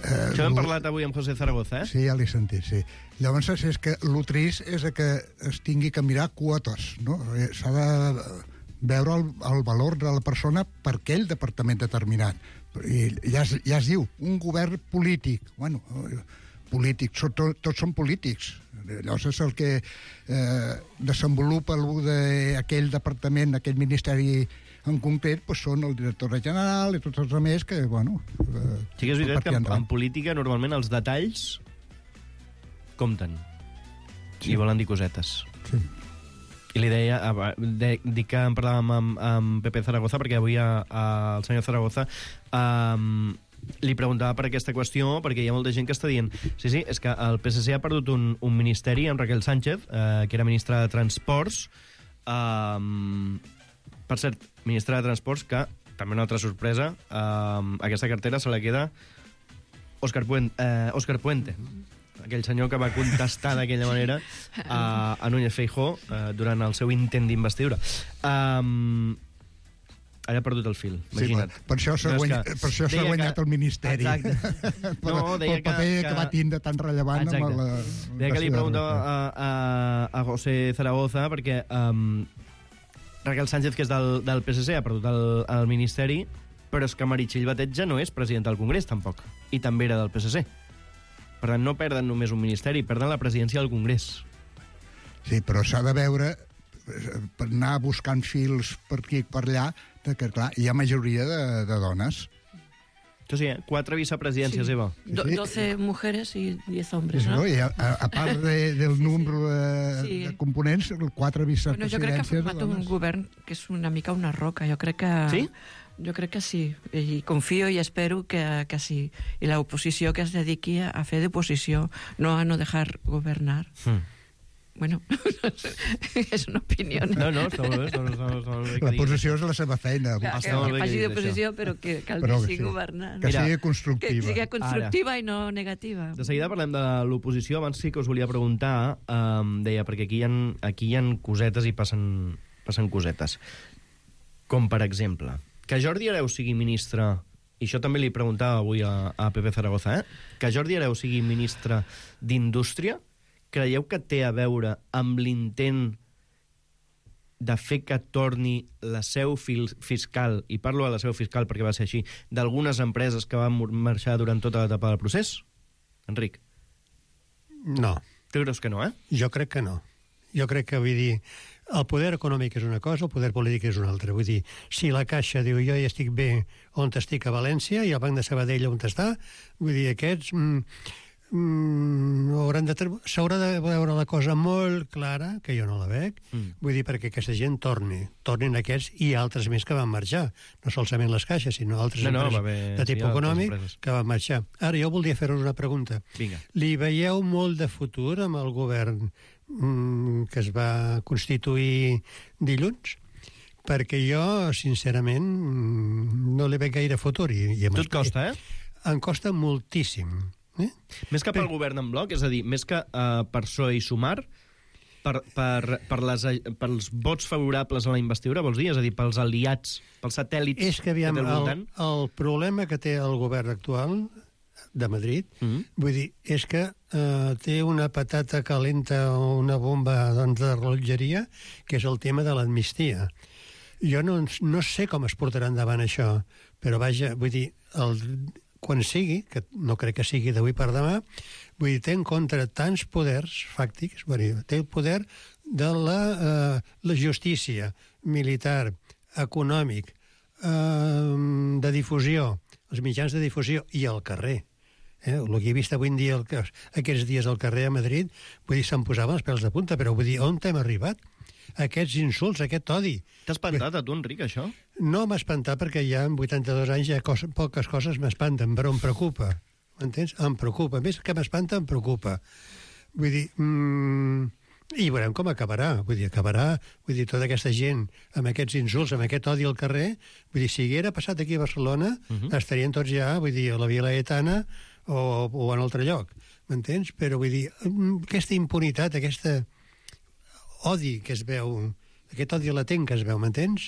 Speaker 2: això hem parlat avui amb José Zaragoza,
Speaker 16: Sí, ja l'he sentit, sí. Llavors, és que el trist és que es tingui que mirar quotes, no? S'ha de veure el valor de la persona per aquell departament determinat. I ja es diu, un govern polític. Bueno, polític, tots són polítics. Llavors és el que desenvolupa aquell departament, aquell ministeri en concret, són el director general i tots els altres que, bueno...
Speaker 2: Sí que és veritat que en política normalment els detalls compten i volen dir cosetes.
Speaker 16: Sí.
Speaker 2: I li deia, dic que en parlàvem amb Pepe Zaragoza, perquè avui el senyor Zaragoza li preguntava per aquesta qüestió, perquè hi ha molta gent que està dient sí, és que el PSC ha perdut un ministeri amb Raquel Sánchez, que era ministra de Transports, per cert, ministra de Transports, que, també una altra sorpresa, aquesta cartera se la queda Óscar Puente, aquell senyor que va contestar d'aquella manera a Núñez Feijóo durant el seu intent d'investidura. Ara ha perdut el fil, imagina't.
Speaker 16: Sí, per això s'ha guanyat el ministeri.
Speaker 2: Exacte.
Speaker 16: Pel paper que va tindre tan rellevant.
Speaker 2: Deia que li preguntava a José Zaragoza, perquè Raquel Sánchez, que és del PSC, ha perdut el ministeri, però és que Meritxell Batet ja no és president del Congrés, tampoc, i també era del PSC. Per tant, no perden només un ministeri, perden la presidència del Congrés.
Speaker 16: Sí, però s'ha de veure, per anar buscant fils per aquí i per allà, que, clar, hi ha majoria de dones.
Speaker 2: Sí, 4 vicepresidències, Eva.
Speaker 17: 12 mujeres y 10 hombres, ¿no?
Speaker 16: I a part del número de components, 4 vicepresidències...
Speaker 17: Bueno, jo crec que ha format un govern que és una mica una roca. Jo crec que...
Speaker 2: Sí?
Speaker 17: Jo crec que sí, i confio i espero que sí. I l'oposició que es dediqui a fer d'oposició, no a no dejar governar. Bueno, és una opinió.
Speaker 2: No, està molt bé.
Speaker 16: L'oposició és la seva feina.
Speaker 17: Que faci d'oposició, però que calgui governant.
Speaker 16: Que sigui constructiva.
Speaker 17: Que sigui constructiva i no negativa.
Speaker 2: De seguida parlem de l'oposició. Abans sí que us volia preguntar, deia, perquè aquí hi ha cosetes i passen cosetes. Com, per exemple, que Jordi Hereu sigui ministre, i això també li preguntava avui a Pepe Zaragoza, que Jordi Hereu sigui ministre d'Indústria, creieu que té a veure amb l'intent de fer que torni la seu fiscal, i parlo de la seu fiscal perquè va ser així, d'algunes empreses que van marxar durant tota l'etapa del procés? Enric?
Speaker 15: No.
Speaker 2: Tu creus que no,
Speaker 15: Jo crec que no. Jo crec que, vull dir, el poder econòmic és una cosa, el poder polític és una altra. Vull dir, si la Caixa diu jo ja estic bé on estic a València i el Banc de Sabadell on està, vull dir, aquests s'haurà de veure la cosa molt clara, que jo no la veig, vull dir, perquè aquesta gent tornin aquests i altres més que van marxar. No solament les caixes, sinó altres empreses de tipus econòmic que van marxar. Ara, jo voldria fer-vos una pregunta.
Speaker 2: Vinga.
Speaker 15: Li veieu molt de futur amb el govern que es va constituir dilluns? Perquè jo, sincerament, no li veig gaire futur.
Speaker 2: Tu et costa,
Speaker 15: Em costa moltíssim.
Speaker 2: Més que pel govern en bloc, és a dir, més que per PSOE i Sumar, pels vots favorables a la investidura, vols dir? És a dir, pels aliats, pels satèl·lits
Speaker 15: és que, aviam,
Speaker 2: que té al voltant?
Speaker 15: El problema que té el govern actual de Madrid, vull dir, és que té una patata calenta o una bomba de rellotgeria, que és el tema de l'amnistia. Jo no sé com es portarà endavant això, però vaja, vull dir, quan sigui, que no crec que sigui d'avui per demà, vull dir, té en contra tants poders fàctics, vull dir, té el poder de la justícia militar, econòmic, de difusió, els mitjans de difusió i el carrer. El que he vist avui en dia, aquests dies al carrer a Madrid, vull dir, se'm posaven els pèls de punta, però vull dir, on hem arribat? Aquests insults, aquest odi.
Speaker 2: T'ha espantat a tu, Enric, això?
Speaker 15: No m'ha espantat perquè ja amb 82 anys ja poques coses m'espanten, però em preocupa. M'entens? Em preocupa. Més que m'espanta, em preocupa. Vull dir, i veurem com acabarà. Vull dir, tota aquesta gent amb aquests insults, amb aquest odi al carrer, vull dir, si haguera passat aquí a Barcelona, estarien tots ja, vull dir, a la Via Laietana o en altre lloc. M'entens? Però vull dir, aquesta impunitat, aquesta odi que es veu aquest odi latent que es veu, m'entens?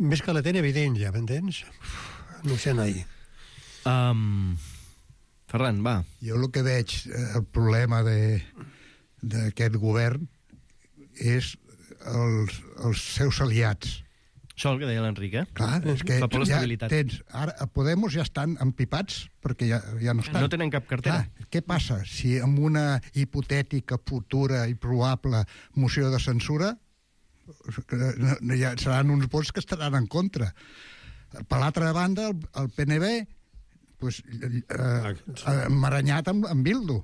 Speaker 15: Més que latent, evident, ja, m'entens? No ho sé, noi.
Speaker 2: Ferran, va.
Speaker 16: Jo el que veig, el problema d'aquest govern és els seus aliats.
Speaker 2: Això el que deia l'Enric,
Speaker 16: Clar, és que
Speaker 2: fa por
Speaker 16: ja
Speaker 2: l'estabilitat.
Speaker 16: tens... Ara, a Podemos ja estan empipats perquè ja no estan.
Speaker 2: No tenen cap cartera.
Speaker 16: Clar, què passa? Si amb una hipotètica, futura i probable moció de censura ja seran uns vots que estaran en contra. Per l'altra banda, el PNB pues, emmaranyat amb Bildu.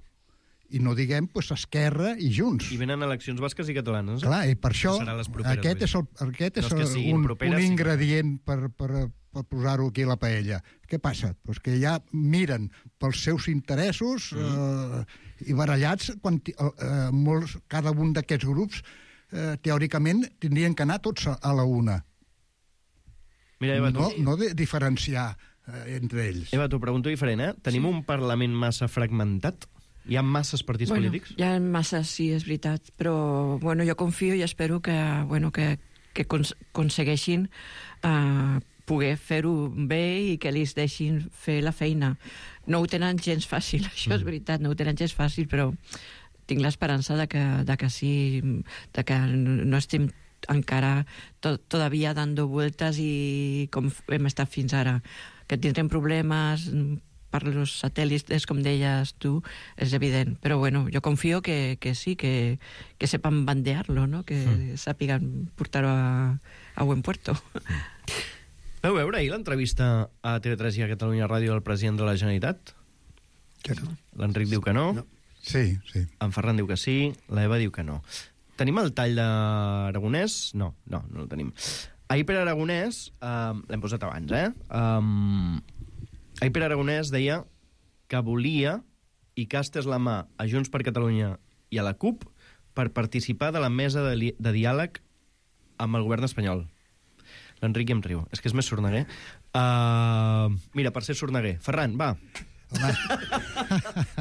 Speaker 16: I no diguem pues, Esquerra i Junts.
Speaker 2: I venen eleccions basques i catalanes.
Speaker 16: Clar, i per això aquest és un ingredient per posar-ho aquí a la paella. Què passa? Pues que ja miren pels seus interessos i barallats quan cada un d'aquests grups teòricament tindrien que anar tots a la una.
Speaker 2: Mira, Eva,
Speaker 16: no diferenciar entre ells.
Speaker 2: Eva, t'ho pregunto diferent, Tenim un Parlament massa fragmentat? Hi ha masses partits polítics?
Speaker 17: Hi ha masses, sí, és veritat, però jo confio i espero que aconsegueixin poder fer-ho bé i que els deixin fer la feina. No ho tenen gens fàcil, això és veritat, no ho tenen gens fàcil, però tinc l'esperança de que sí, de que no estem encara todavía dando vueltas i com hem estat fins ara, que tindrem problemes per los satèl·lits, com deies tu, és evident. Però jo confio que sí, que sepan bandear-lo, no? Que sàpiguen portar-ho a buen puerto.
Speaker 2: Vau veure ahir l'entrevista a TV3 i a Catalunya Ràdio al president de la Generalitat?
Speaker 15: Que no.
Speaker 2: L'Enric diu que no.
Speaker 16: Sí.
Speaker 2: En Ferran diu que sí, l'Eva diu que no. Tenim el tall d'Aragonès? No el tenim. Ahir per Aragonès, l'hem posat abans, ahir Pere Aragonès deia que volia i que estés la mà a Junts per Catalunya i a la CUP per participar de la mesa de diàleg amb el govern espanyol. L'Enric em riu. És que és més sorneguer. Mira, per ser sorneguer. Ferran, va.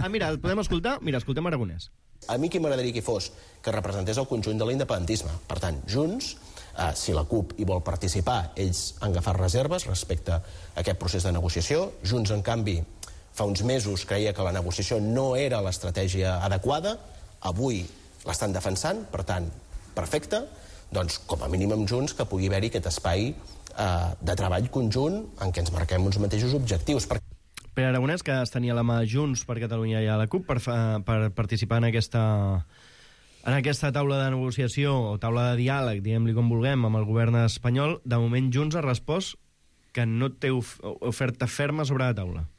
Speaker 2: Mira, el podem escoltar? Mira, escoltem Aragonès.
Speaker 18: A mi qui m'agradaria que fos que representés el conjunt de l'independentisme. Per tant, Junts, si la CUP hi vol participar, ells han agafat reserves respecte a aquest procés de negociació. Junts, en canvi, fa uns mesos creia que la negociació no era l'estratègia adequada. Avui l'estan defensant, per tant, perfecte. Doncs, com a mínim amb Junts, que pugui haver-hi aquest espai de treball conjunt en què ens marquem uns mateixos objectius.
Speaker 2: Pere Aragonès, que es tenia la mà Junts per Catalunya i a la CUP per participar en aquesta taula de negociació o taula de diàleg, diguem-li com vulguem, amb el govern espanyol. De moment, Junts ha respost que no té oferta ferma sobre la taula.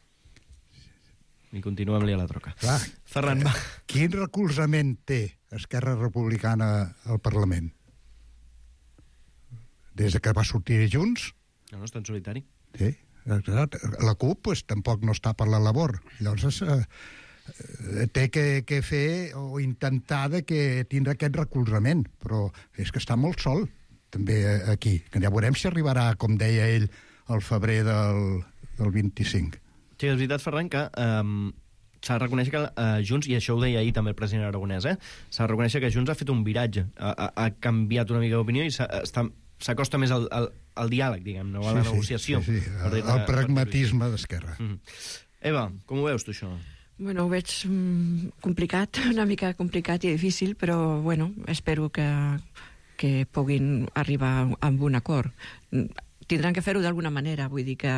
Speaker 2: I continuem-li a la troca.
Speaker 16: Clar,
Speaker 2: Ferran, va.
Speaker 16: Quin recolzament té Esquerra Republicana al Parlament? Des de que va sortir Junts?
Speaker 2: No, està en solitari.
Speaker 16: Sí. La CUP pues, tampoc no està per la labor. Llavors té que fer o intentar que tindre aquest recolzament, però és que està molt sol també aquí, que ja veurem si arribarà, com deia ell, al febrer del 25.
Speaker 2: Sí, és veritat, Ferran, que s'ha de reconèixer que Junts, i això ho deia ahir també el president Aragonès, s'ha de reconèixer que Junts ha fet un viratge, ha canviat una mica d'opinió i s'acosta més al diàleg, diguem, no a la negociació.
Speaker 16: Sí. El pragmatisme d'Esquerra.
Speaker 2: Eva, com ho veus tu, això?
Speaker 17: Bueno, ho veig complicat, una mica complicat i difícil, però, bueno, espero que puguin arribar a un acord. Tindran que fer-ho d'alguna manera, vull dir que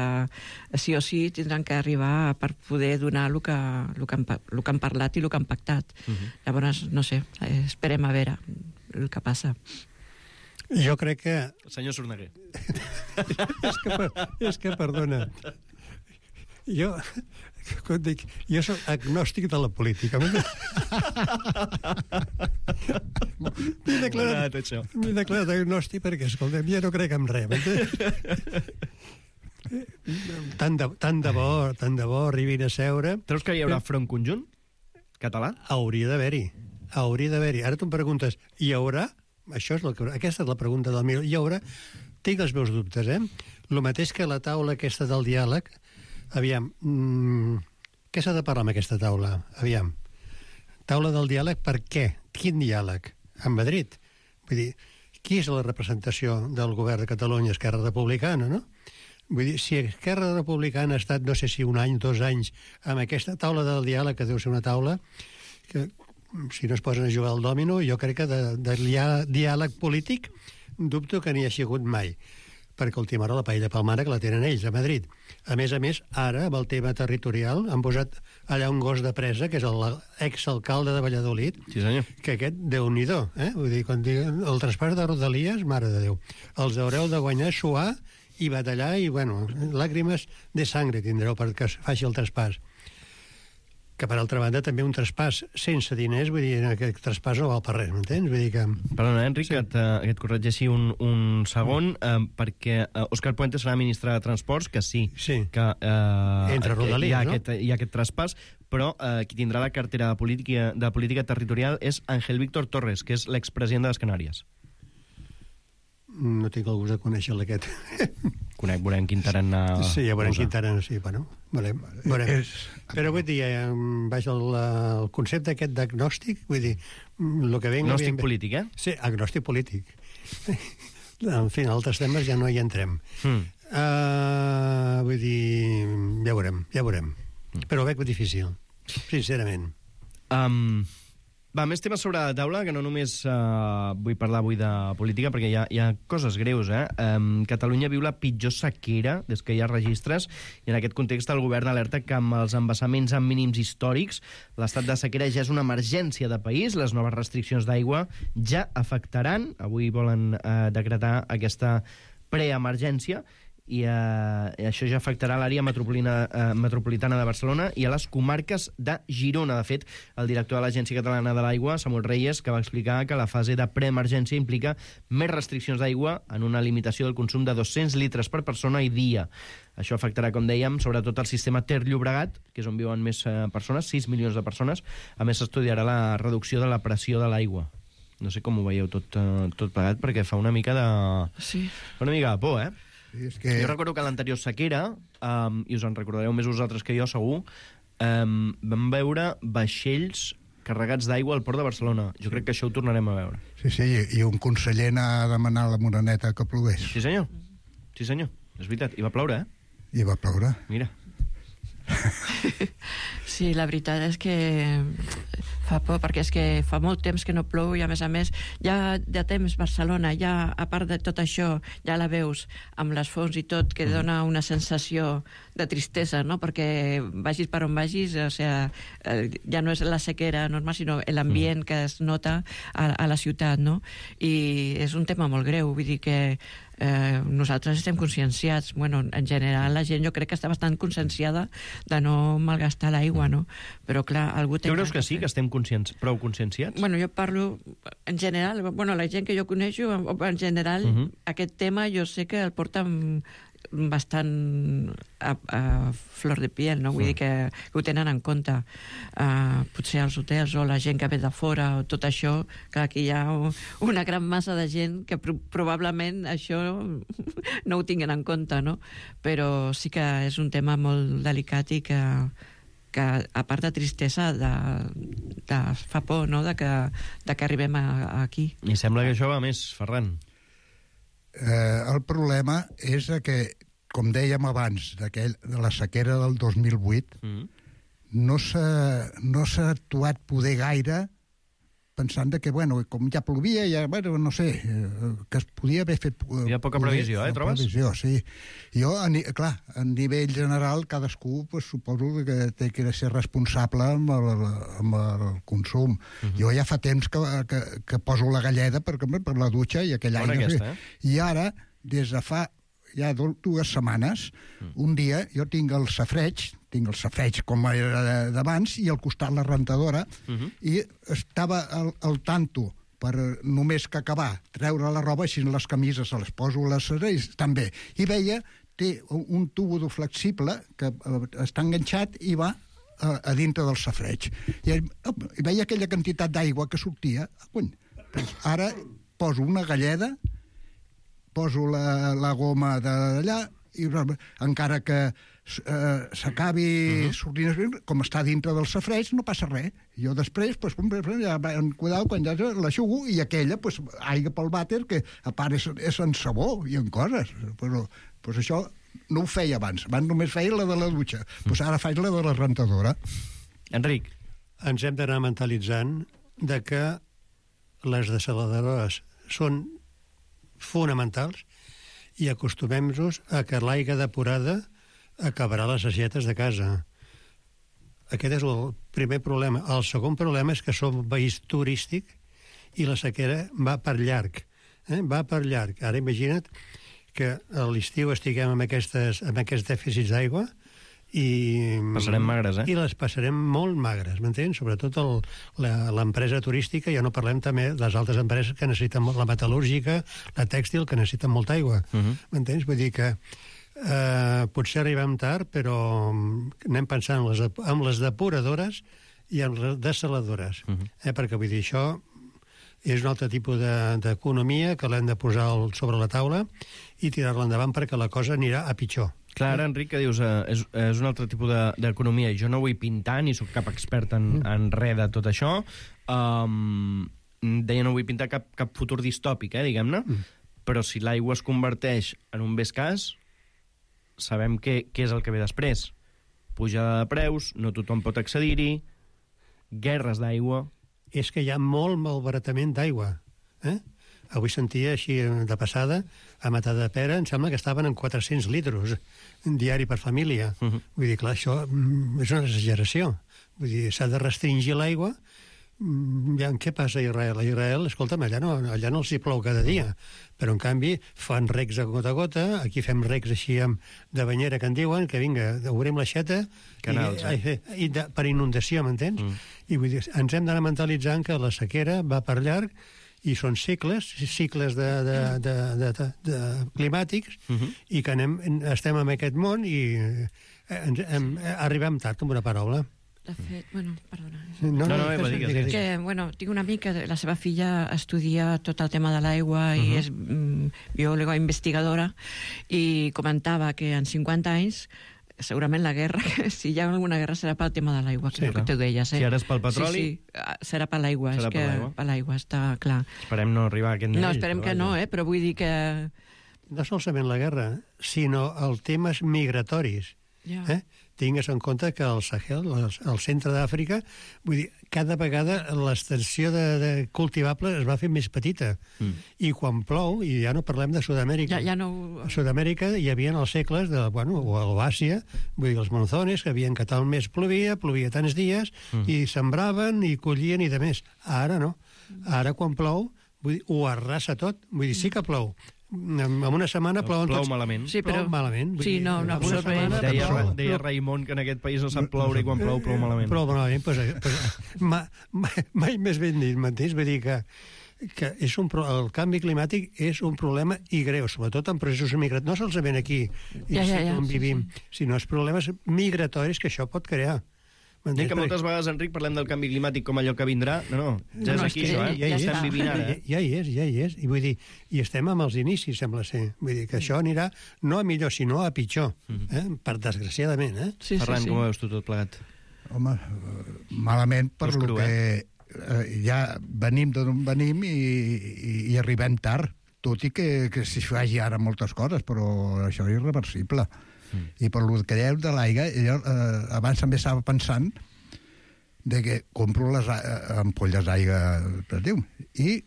Speaker 17: sí o sí tindran que arribar per poder donar el que han parlat i el que han pactat. Llavors, no sé, esperem a veure el que passa.
Speaker 15: Jo crec que...
Speaker 2: Senyor Sorneguer.
Speaker 15: és que, perdona, jo soc agnòstic de la política. M'he declarat agnòstic perquè, escolta'm, ja no crec en res. Tant de bo arribin a seure...
Speaker 2: Creus que hi haurà front conjunt català?
Speaker 15: Hauria d'haver-hi. Ara tu em preguntes, hi haurà? Aquesta és la pregunta del millor. Hi haurà? Tinc els meus dubtes, El mateix que la taula aquesta del diàleg. Aviam, què s'ha de parlar amb aquesta taula? Aviam, taula del diàleg per què? Quin diàleg? En Madrid? Vull dir, qui és la representació del govern de Catalunya? Esquerra Republicana, no? Vull dir, si Esquerra Republicana ha estat, no sé si 1 any, 2 anys, amb aquesta taula del diàleg, que deu ser una taula que, si no es posen a jugar al dòmino, jo crec que de diàleg polític dubto que n'hi ha sigut mai, perquè ultimarà la paella palmara que la tenen ells a Madrid. A més, ara, amb el tema territorial, han posat allà un gos de presa, que és l'exalcalde de Valladolid,
Speaker 2: sí, senyor,
Speaker 15: que aquest, Déu-n'hi-do, vull dir, quan diguen el traspàs de Rodalies, mare de Déu, els haureu de guanyar, suar i batallar, i, bueno, làgrimes de sangre tindreu perquè es faci el traspàs. Que, per altra banda, també un traspàs sense diners, vull dir, aquest traspàs no val per res, m'entens? Vull dir que...
Speaker 2: Perdona, Enric, sí, que et corregeixi un segon, perquè Òscar Puente serà ministre de Transports, que sí, que
Speaker 15: entre Rodalies,
Speaker 2: hi ha aquest traspàs, però qui tindrà la cartera de política territorial és Ángel Víctor Torres, que és l'expresident de les Canàries.
Speaker 15: No tinc el gust de conèixer aquest.
Speaker 2: Veurem quin tarannà...
Speaker 15: Sí, ja veurem quin tarannà, sí, bueno, veurem. Però vull dir, vaja, el concepte aquest d'agnòstic, vull dir, el que venga...
Speaker 2: Agnòstic polític, eh?
Speaker 15: Sí, agnòstic polític. En fi, en altres temes ja no hi entrem. Vull dir, ja veurem. Però ho veig difícil, sincerament.
Speaker 2: Va, més temes sobre la taula, que no només vull parlar avui de política, perquè hi ha coses greus, eh? Catalunya viu la pitjor sequera des que hi ha registres, i en aquest context el govern alerta que amb els embassaments en mínims històrics l'estat de sequera ja és una emergència de país, les noves restriccions d'aigua ja afectaran, avui volen decretar aquesta preemergència, i això ja afectarà l'àrea metropolitana de Barcelona i a les comarques de Girona. De fet, el director de l'Agència Catalana de l'Aigua, Samuel Reyes, que va explicar que la fase de preemergència implica més restriccions d'aigua en una limitació del consum de 200 litres per persona i dia. Això afectarà, com dèiem, sobretot el sistema Ter-Llobregat, que és on viuen més persones, 6 milions de persones. A més, s'estudiarà la reducció de la pressió de l'aigua. No sé com ho veieu tot plegat, perquè fa una mica de...
Speaker 17: Sí.
Speaker 2: Una mica de por, eh?
Speaker 16: Sí, és que...
Speaker 2: Jo recordo que l'anterior sequera, i us en recordareu més vosaltres que jo, segur, vam veure vaixells carregats d'aigua al port de Barcelona. Jo crec que això ho tornarem a veure.
Speaker 16: Sí, i un conseller anà a demanar a la Moreneta que plogués.
Speaker 2: Sí, senyor. Sí, senyor. És veritat. I va ploure, eh?
Speaker 16: I va ploure.
Speaker 2: Mira.
Speaker 17: Sí, la veritat és que fa por, perquè és que fa molt temps que no plou i, a més, ja de temps Barcelona, ja, a part de tot això, ja la veus amb les fonts i tot, que dona una sensació de tristesa, no? Perquè vagis per on vagis, o sea, ja no és la sequera normal, sinó l'ambient que es nota a la ciutat, no? I és un tema molt greu, vull dir que nosaltres estem conscienciats, bueno, en general la gent jo crec que està bastant conscienciada de no malgastar l'aigua, no? Però clar, algú té...
Speaker 2: Tu creus que sí, que estem prou conscienciats?
Speaker 17: Bueno, jo parlo en general, bueno, la gent que jo coneixo, en general, aquest tema jo sé que el porten bastant a flor de piel, no? Vull dir que ho tenen en compte. Potser els hotels o la gent que ve de fora o tot això, que aquí hi ha una gran massa de gent que probablement això no ho tinguin en compte, no? Però sí que és un tema molt delicat i que a part de tristesa fa por, no?, de que arribem aquí.
Speaker 2: I sembla que això va més, Ferran.
Speaker 16: El problema és que, com dèiem abans, de la sequera del 2008, no s'ha actuat poder gaire pensant que, bueno, com ja plovia, ja, bueno, no sé, que es podia haver fet...
Speaker 2: Hi ha poca previsió, trobes?
Speaker 16: Previsió, sí. Jo, clar, a nivell general, cadascú, pues, suposo que té que ser responsable amb el consum. Jo ja fa temps que poso la galleda per la dutxa i aquell any...
Speaker 2: Aquesta,
Speaker 16: I ara, des de fa ja 2 setmanes, un dia jo tinc el safreig com era d'abans, i al costat la rentadora, i estava al tanto per només que acabar, treure la roba, així les camises se les poso a les serres, estan bé. I veia, té un tubo flexible que està enganxat i va a dintre del safreig. I veia aquella quantitat d'aigua que sortia. Ara poso una galleda, poso la goma d'allà i encara que s'acabi sortint, com està dintre del safareig, no passa res. Jo després, ja cuidado, quan ja l'aixugo, i aquella, aigua pel vàter, que a part és en sabó i en coses. Però això no ho feia abans. Abans només feia la de la dutxa. Ara faig la de la rentadora.
Speaker 2: Enric.
Speaker 15: Ens hem d'anar mentalitzant de que les desaladores són fonamentals i acostumem-nos a que l'aigua depurada acabarà les aixetes de casa. Aquest és el primer problema. El segon problema és que som un país turístic i la sequera va per llarg. Va per llarg. Ara imagina't que a l'estiu estiguem amb aquests dèficits d'aigua i...
Speaker 2: Passarem magres,
Speaker 15: I les passarem molt magres, m'entens? Sobretot l'empresa turística, ja no parlem també de les altres empreses que necessiten la metal·lúrgica, la tèxtil, que necessiten molta aigua. M'entens? Vull dir que potser arribem tard, però anem pensant en les depuradores i en les desaladores. Perquè vull dir, això és un altre tipus d'economia que l'hem de posar sobre la taula i tirar-la endavant perquè la cosa anirà a pitjor.
Speaker 2: Clar, ara, Enric, que dius, és un altre tipus d'economia. Jo no vull pintar, ni sóc cap expert en res de tot això. Deia, no vull pintar cap futur distòpic, diguem-ne, però si l'aigua es converteix en un bé escàs, sabem què és el que ve després. Pujada de preus, no tothom pot accedir-hi, guerres d'aigua...
Speaker 15: És que hi ha molt malbaratament d'aigua. Avui sentia així de passada, a Matadepera em sembla que estaven en 400 litres diari per família. Vull dir, clar, això és una exageració. Vull dir, s'ha de restringir l'aigua. Què passa a Israel? A Israel, escolta'm, allà no els hi plou cada dia, però en canvi fan recs a gota a gota, aquí fem recs així de banyera que en diuen, que vinga, obrim l'aixeta per inundació, m'entens? I vull dir, ens hem d'anar mentalitzant que la sequera va per llarg i són cicles climàtics i que estem en aquest món i arribem tard, amb una paraula.
Speaker 17: De fet, perdona.
Speaker 15: Tinc
Speaker 17: una amiga, la seva filla estudia tot el tema de l'aigua i és biòloga investigadora i comentava que en 50 anys segurament la guerra, si hi ha alguna guerra serà pel tema de l'aigua, que tu deies.
Speaker 2: Si ara és pel petroli...
Speaker 17: Serà per l'aigua, és que per l'aigua, està clar.
Speaker 2: Esperem no arribar a aquest nivell.
Speaker 17: No, esperem que no, però vull dir que...
Speaker 15: No solament la guerra, sinó els temes migratoris. Tingues en compte que el Sahel, el centre d'Àfrica, vull dir, cada vegada l'extensió de cultivable es va fer més petita. I quan plou, i ja no parlem de Sud-amèrica, a Sud-amèrica hi havia els segles, o a l'Àsia, vull dir, els monzones, que havien que tal mes plovia tants dies, i sembraven, i collien, i de més. Ara no. Ara quan plou, vull dir, ho arrasa tot. Vull dir, sí que plou. En una setmana plouen tots.
Speaker 2: Plou malament.
Speaker 17: Sí, però...
Speaker 15: Plou malament.
Speaker 17: Sí, no,
Speaker 2: absolutament. Deia Raimon que en aquest país no sap ploure i quan plou malament.
Speaker 15: Plou malament, mai més ben dit, m'entens? Vull dir que el canvi climàtic és un problema i greu, sobretot en processos migratoris. No solament aquí, on vivim, sinó els problemes migratoris que això pot crear.
Speaker 2: Dic que moltes vegades, Enric, parlem del canvi climàtic com allò que vindrà. No, ja és aquí, això, ja estem vivint ara.
Speaker 15: Ja hi és. I vull dir, i estem amb els inicis, sembla ser. Vull dir que això anirà no a millor, sinó a pitjor. Per desgraciadament,
Speaker 2: Ferran, com ho veus tu tot plegat?
Speaker 16: Home, malament per lo que ja venim d'on venim i arribem tard. Tot i que s'hi faci ara moltes coses, però això és irreversible. I per el que dèieu de l'aigua, abans també estava pensant de que compro les ampolles d'aigua, i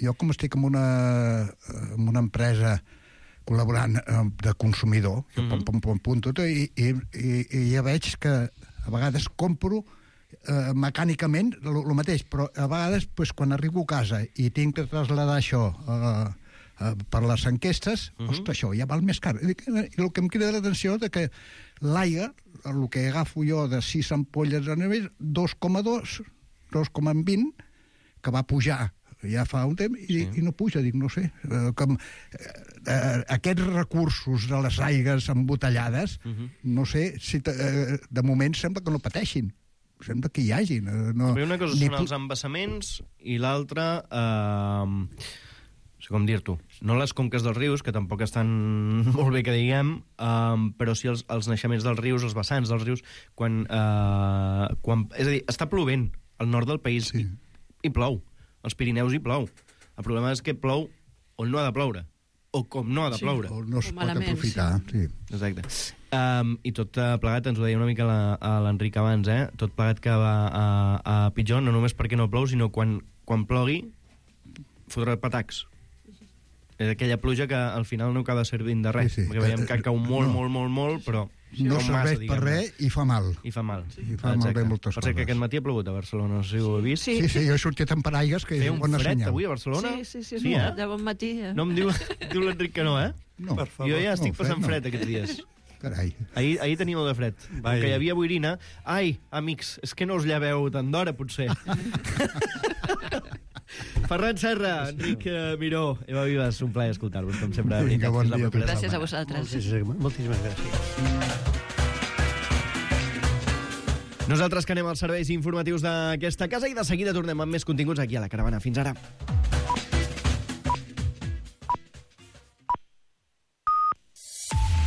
Speaker 16: jo com estic en una empresa col·laborant de consumidor, i ja veig que a vegades compro mecànicament el mateix, però a vegades quan arribo a casa i tinc que traslladar això per les enquestes, ostres, això ja val més car. I el que em crida l'atenció és que l'aigua, el que agafo jo de 6 ampolles a nivell, 2,2, 2,20, que va pujar ja fa un temps, i no puja, dic, no sé. Aquests recursos de les aigues embotellades, no sé, si de moment sembla que no pateixin. Sembla que hi hagi.
Speaker 2: Una cosa són els embassaments i l'altra... sé com dir-t'ho, no les conques dels rius, que tampoc estan molt bé que diguem, però sí els naixements dels rius, els vessants dels rius, quan és a dir, està plovent al nord del país i plou. Als Pirineus hi plou. El problema és que plou on no ha de ploure, o com no ha de ploure.
Speaker 16: O no es pot aprofitar. Sí.
Speaker 2: Exacte. I tot plegat, ens ho deia una mica l'Enric abans, tot plegat que va a pitjor, no només perquè no plou, sinó quan plogui, fotrà patacs. És aquella pluja que al final no acaba servint de res, perquè veiem que cau molt, però...
Speaker 16: No serveix per res i fa mal.
Speaker 2: I fa mal.
Speaker 16: I fa malbé moltes coses.
Speaker 2: Per que aquest matí ha plogut a Barcelona, no sé si ho he vist.
Speaker 16: Sí, jo he sortit amb paraigues, que és bona senyal.
Speaker 2: Feia un fred avui a Barcelona?
Speaker 17: Sí, de bon matí.
Speaker 2: No em diu l'Enric que no,
Speaker 16: No, per favor.
Speaker 2: Jo ja estic passant fred aquests dies.
Speaker 16: Carai.
Speaker 2: Ahir tenia molt de fred. Que hi havia boirina. Ai, amics, és que no us lleveu tant d'hora, potser. Ferran Serra, Enric Miró, Eva Vives, un plaer escoltar-vos, com sempre.
Speaker 16: Vinga, bon dia.
Speaker 17: Gràcies a vosaltres.
Speaker 15: Moltíssimes gràcies.
Speaker 2: Nosaltres que anem als serveis informatius d'aquesta casa i de seguida tornem amb més continguts aquí a La Caravana. Fins ara.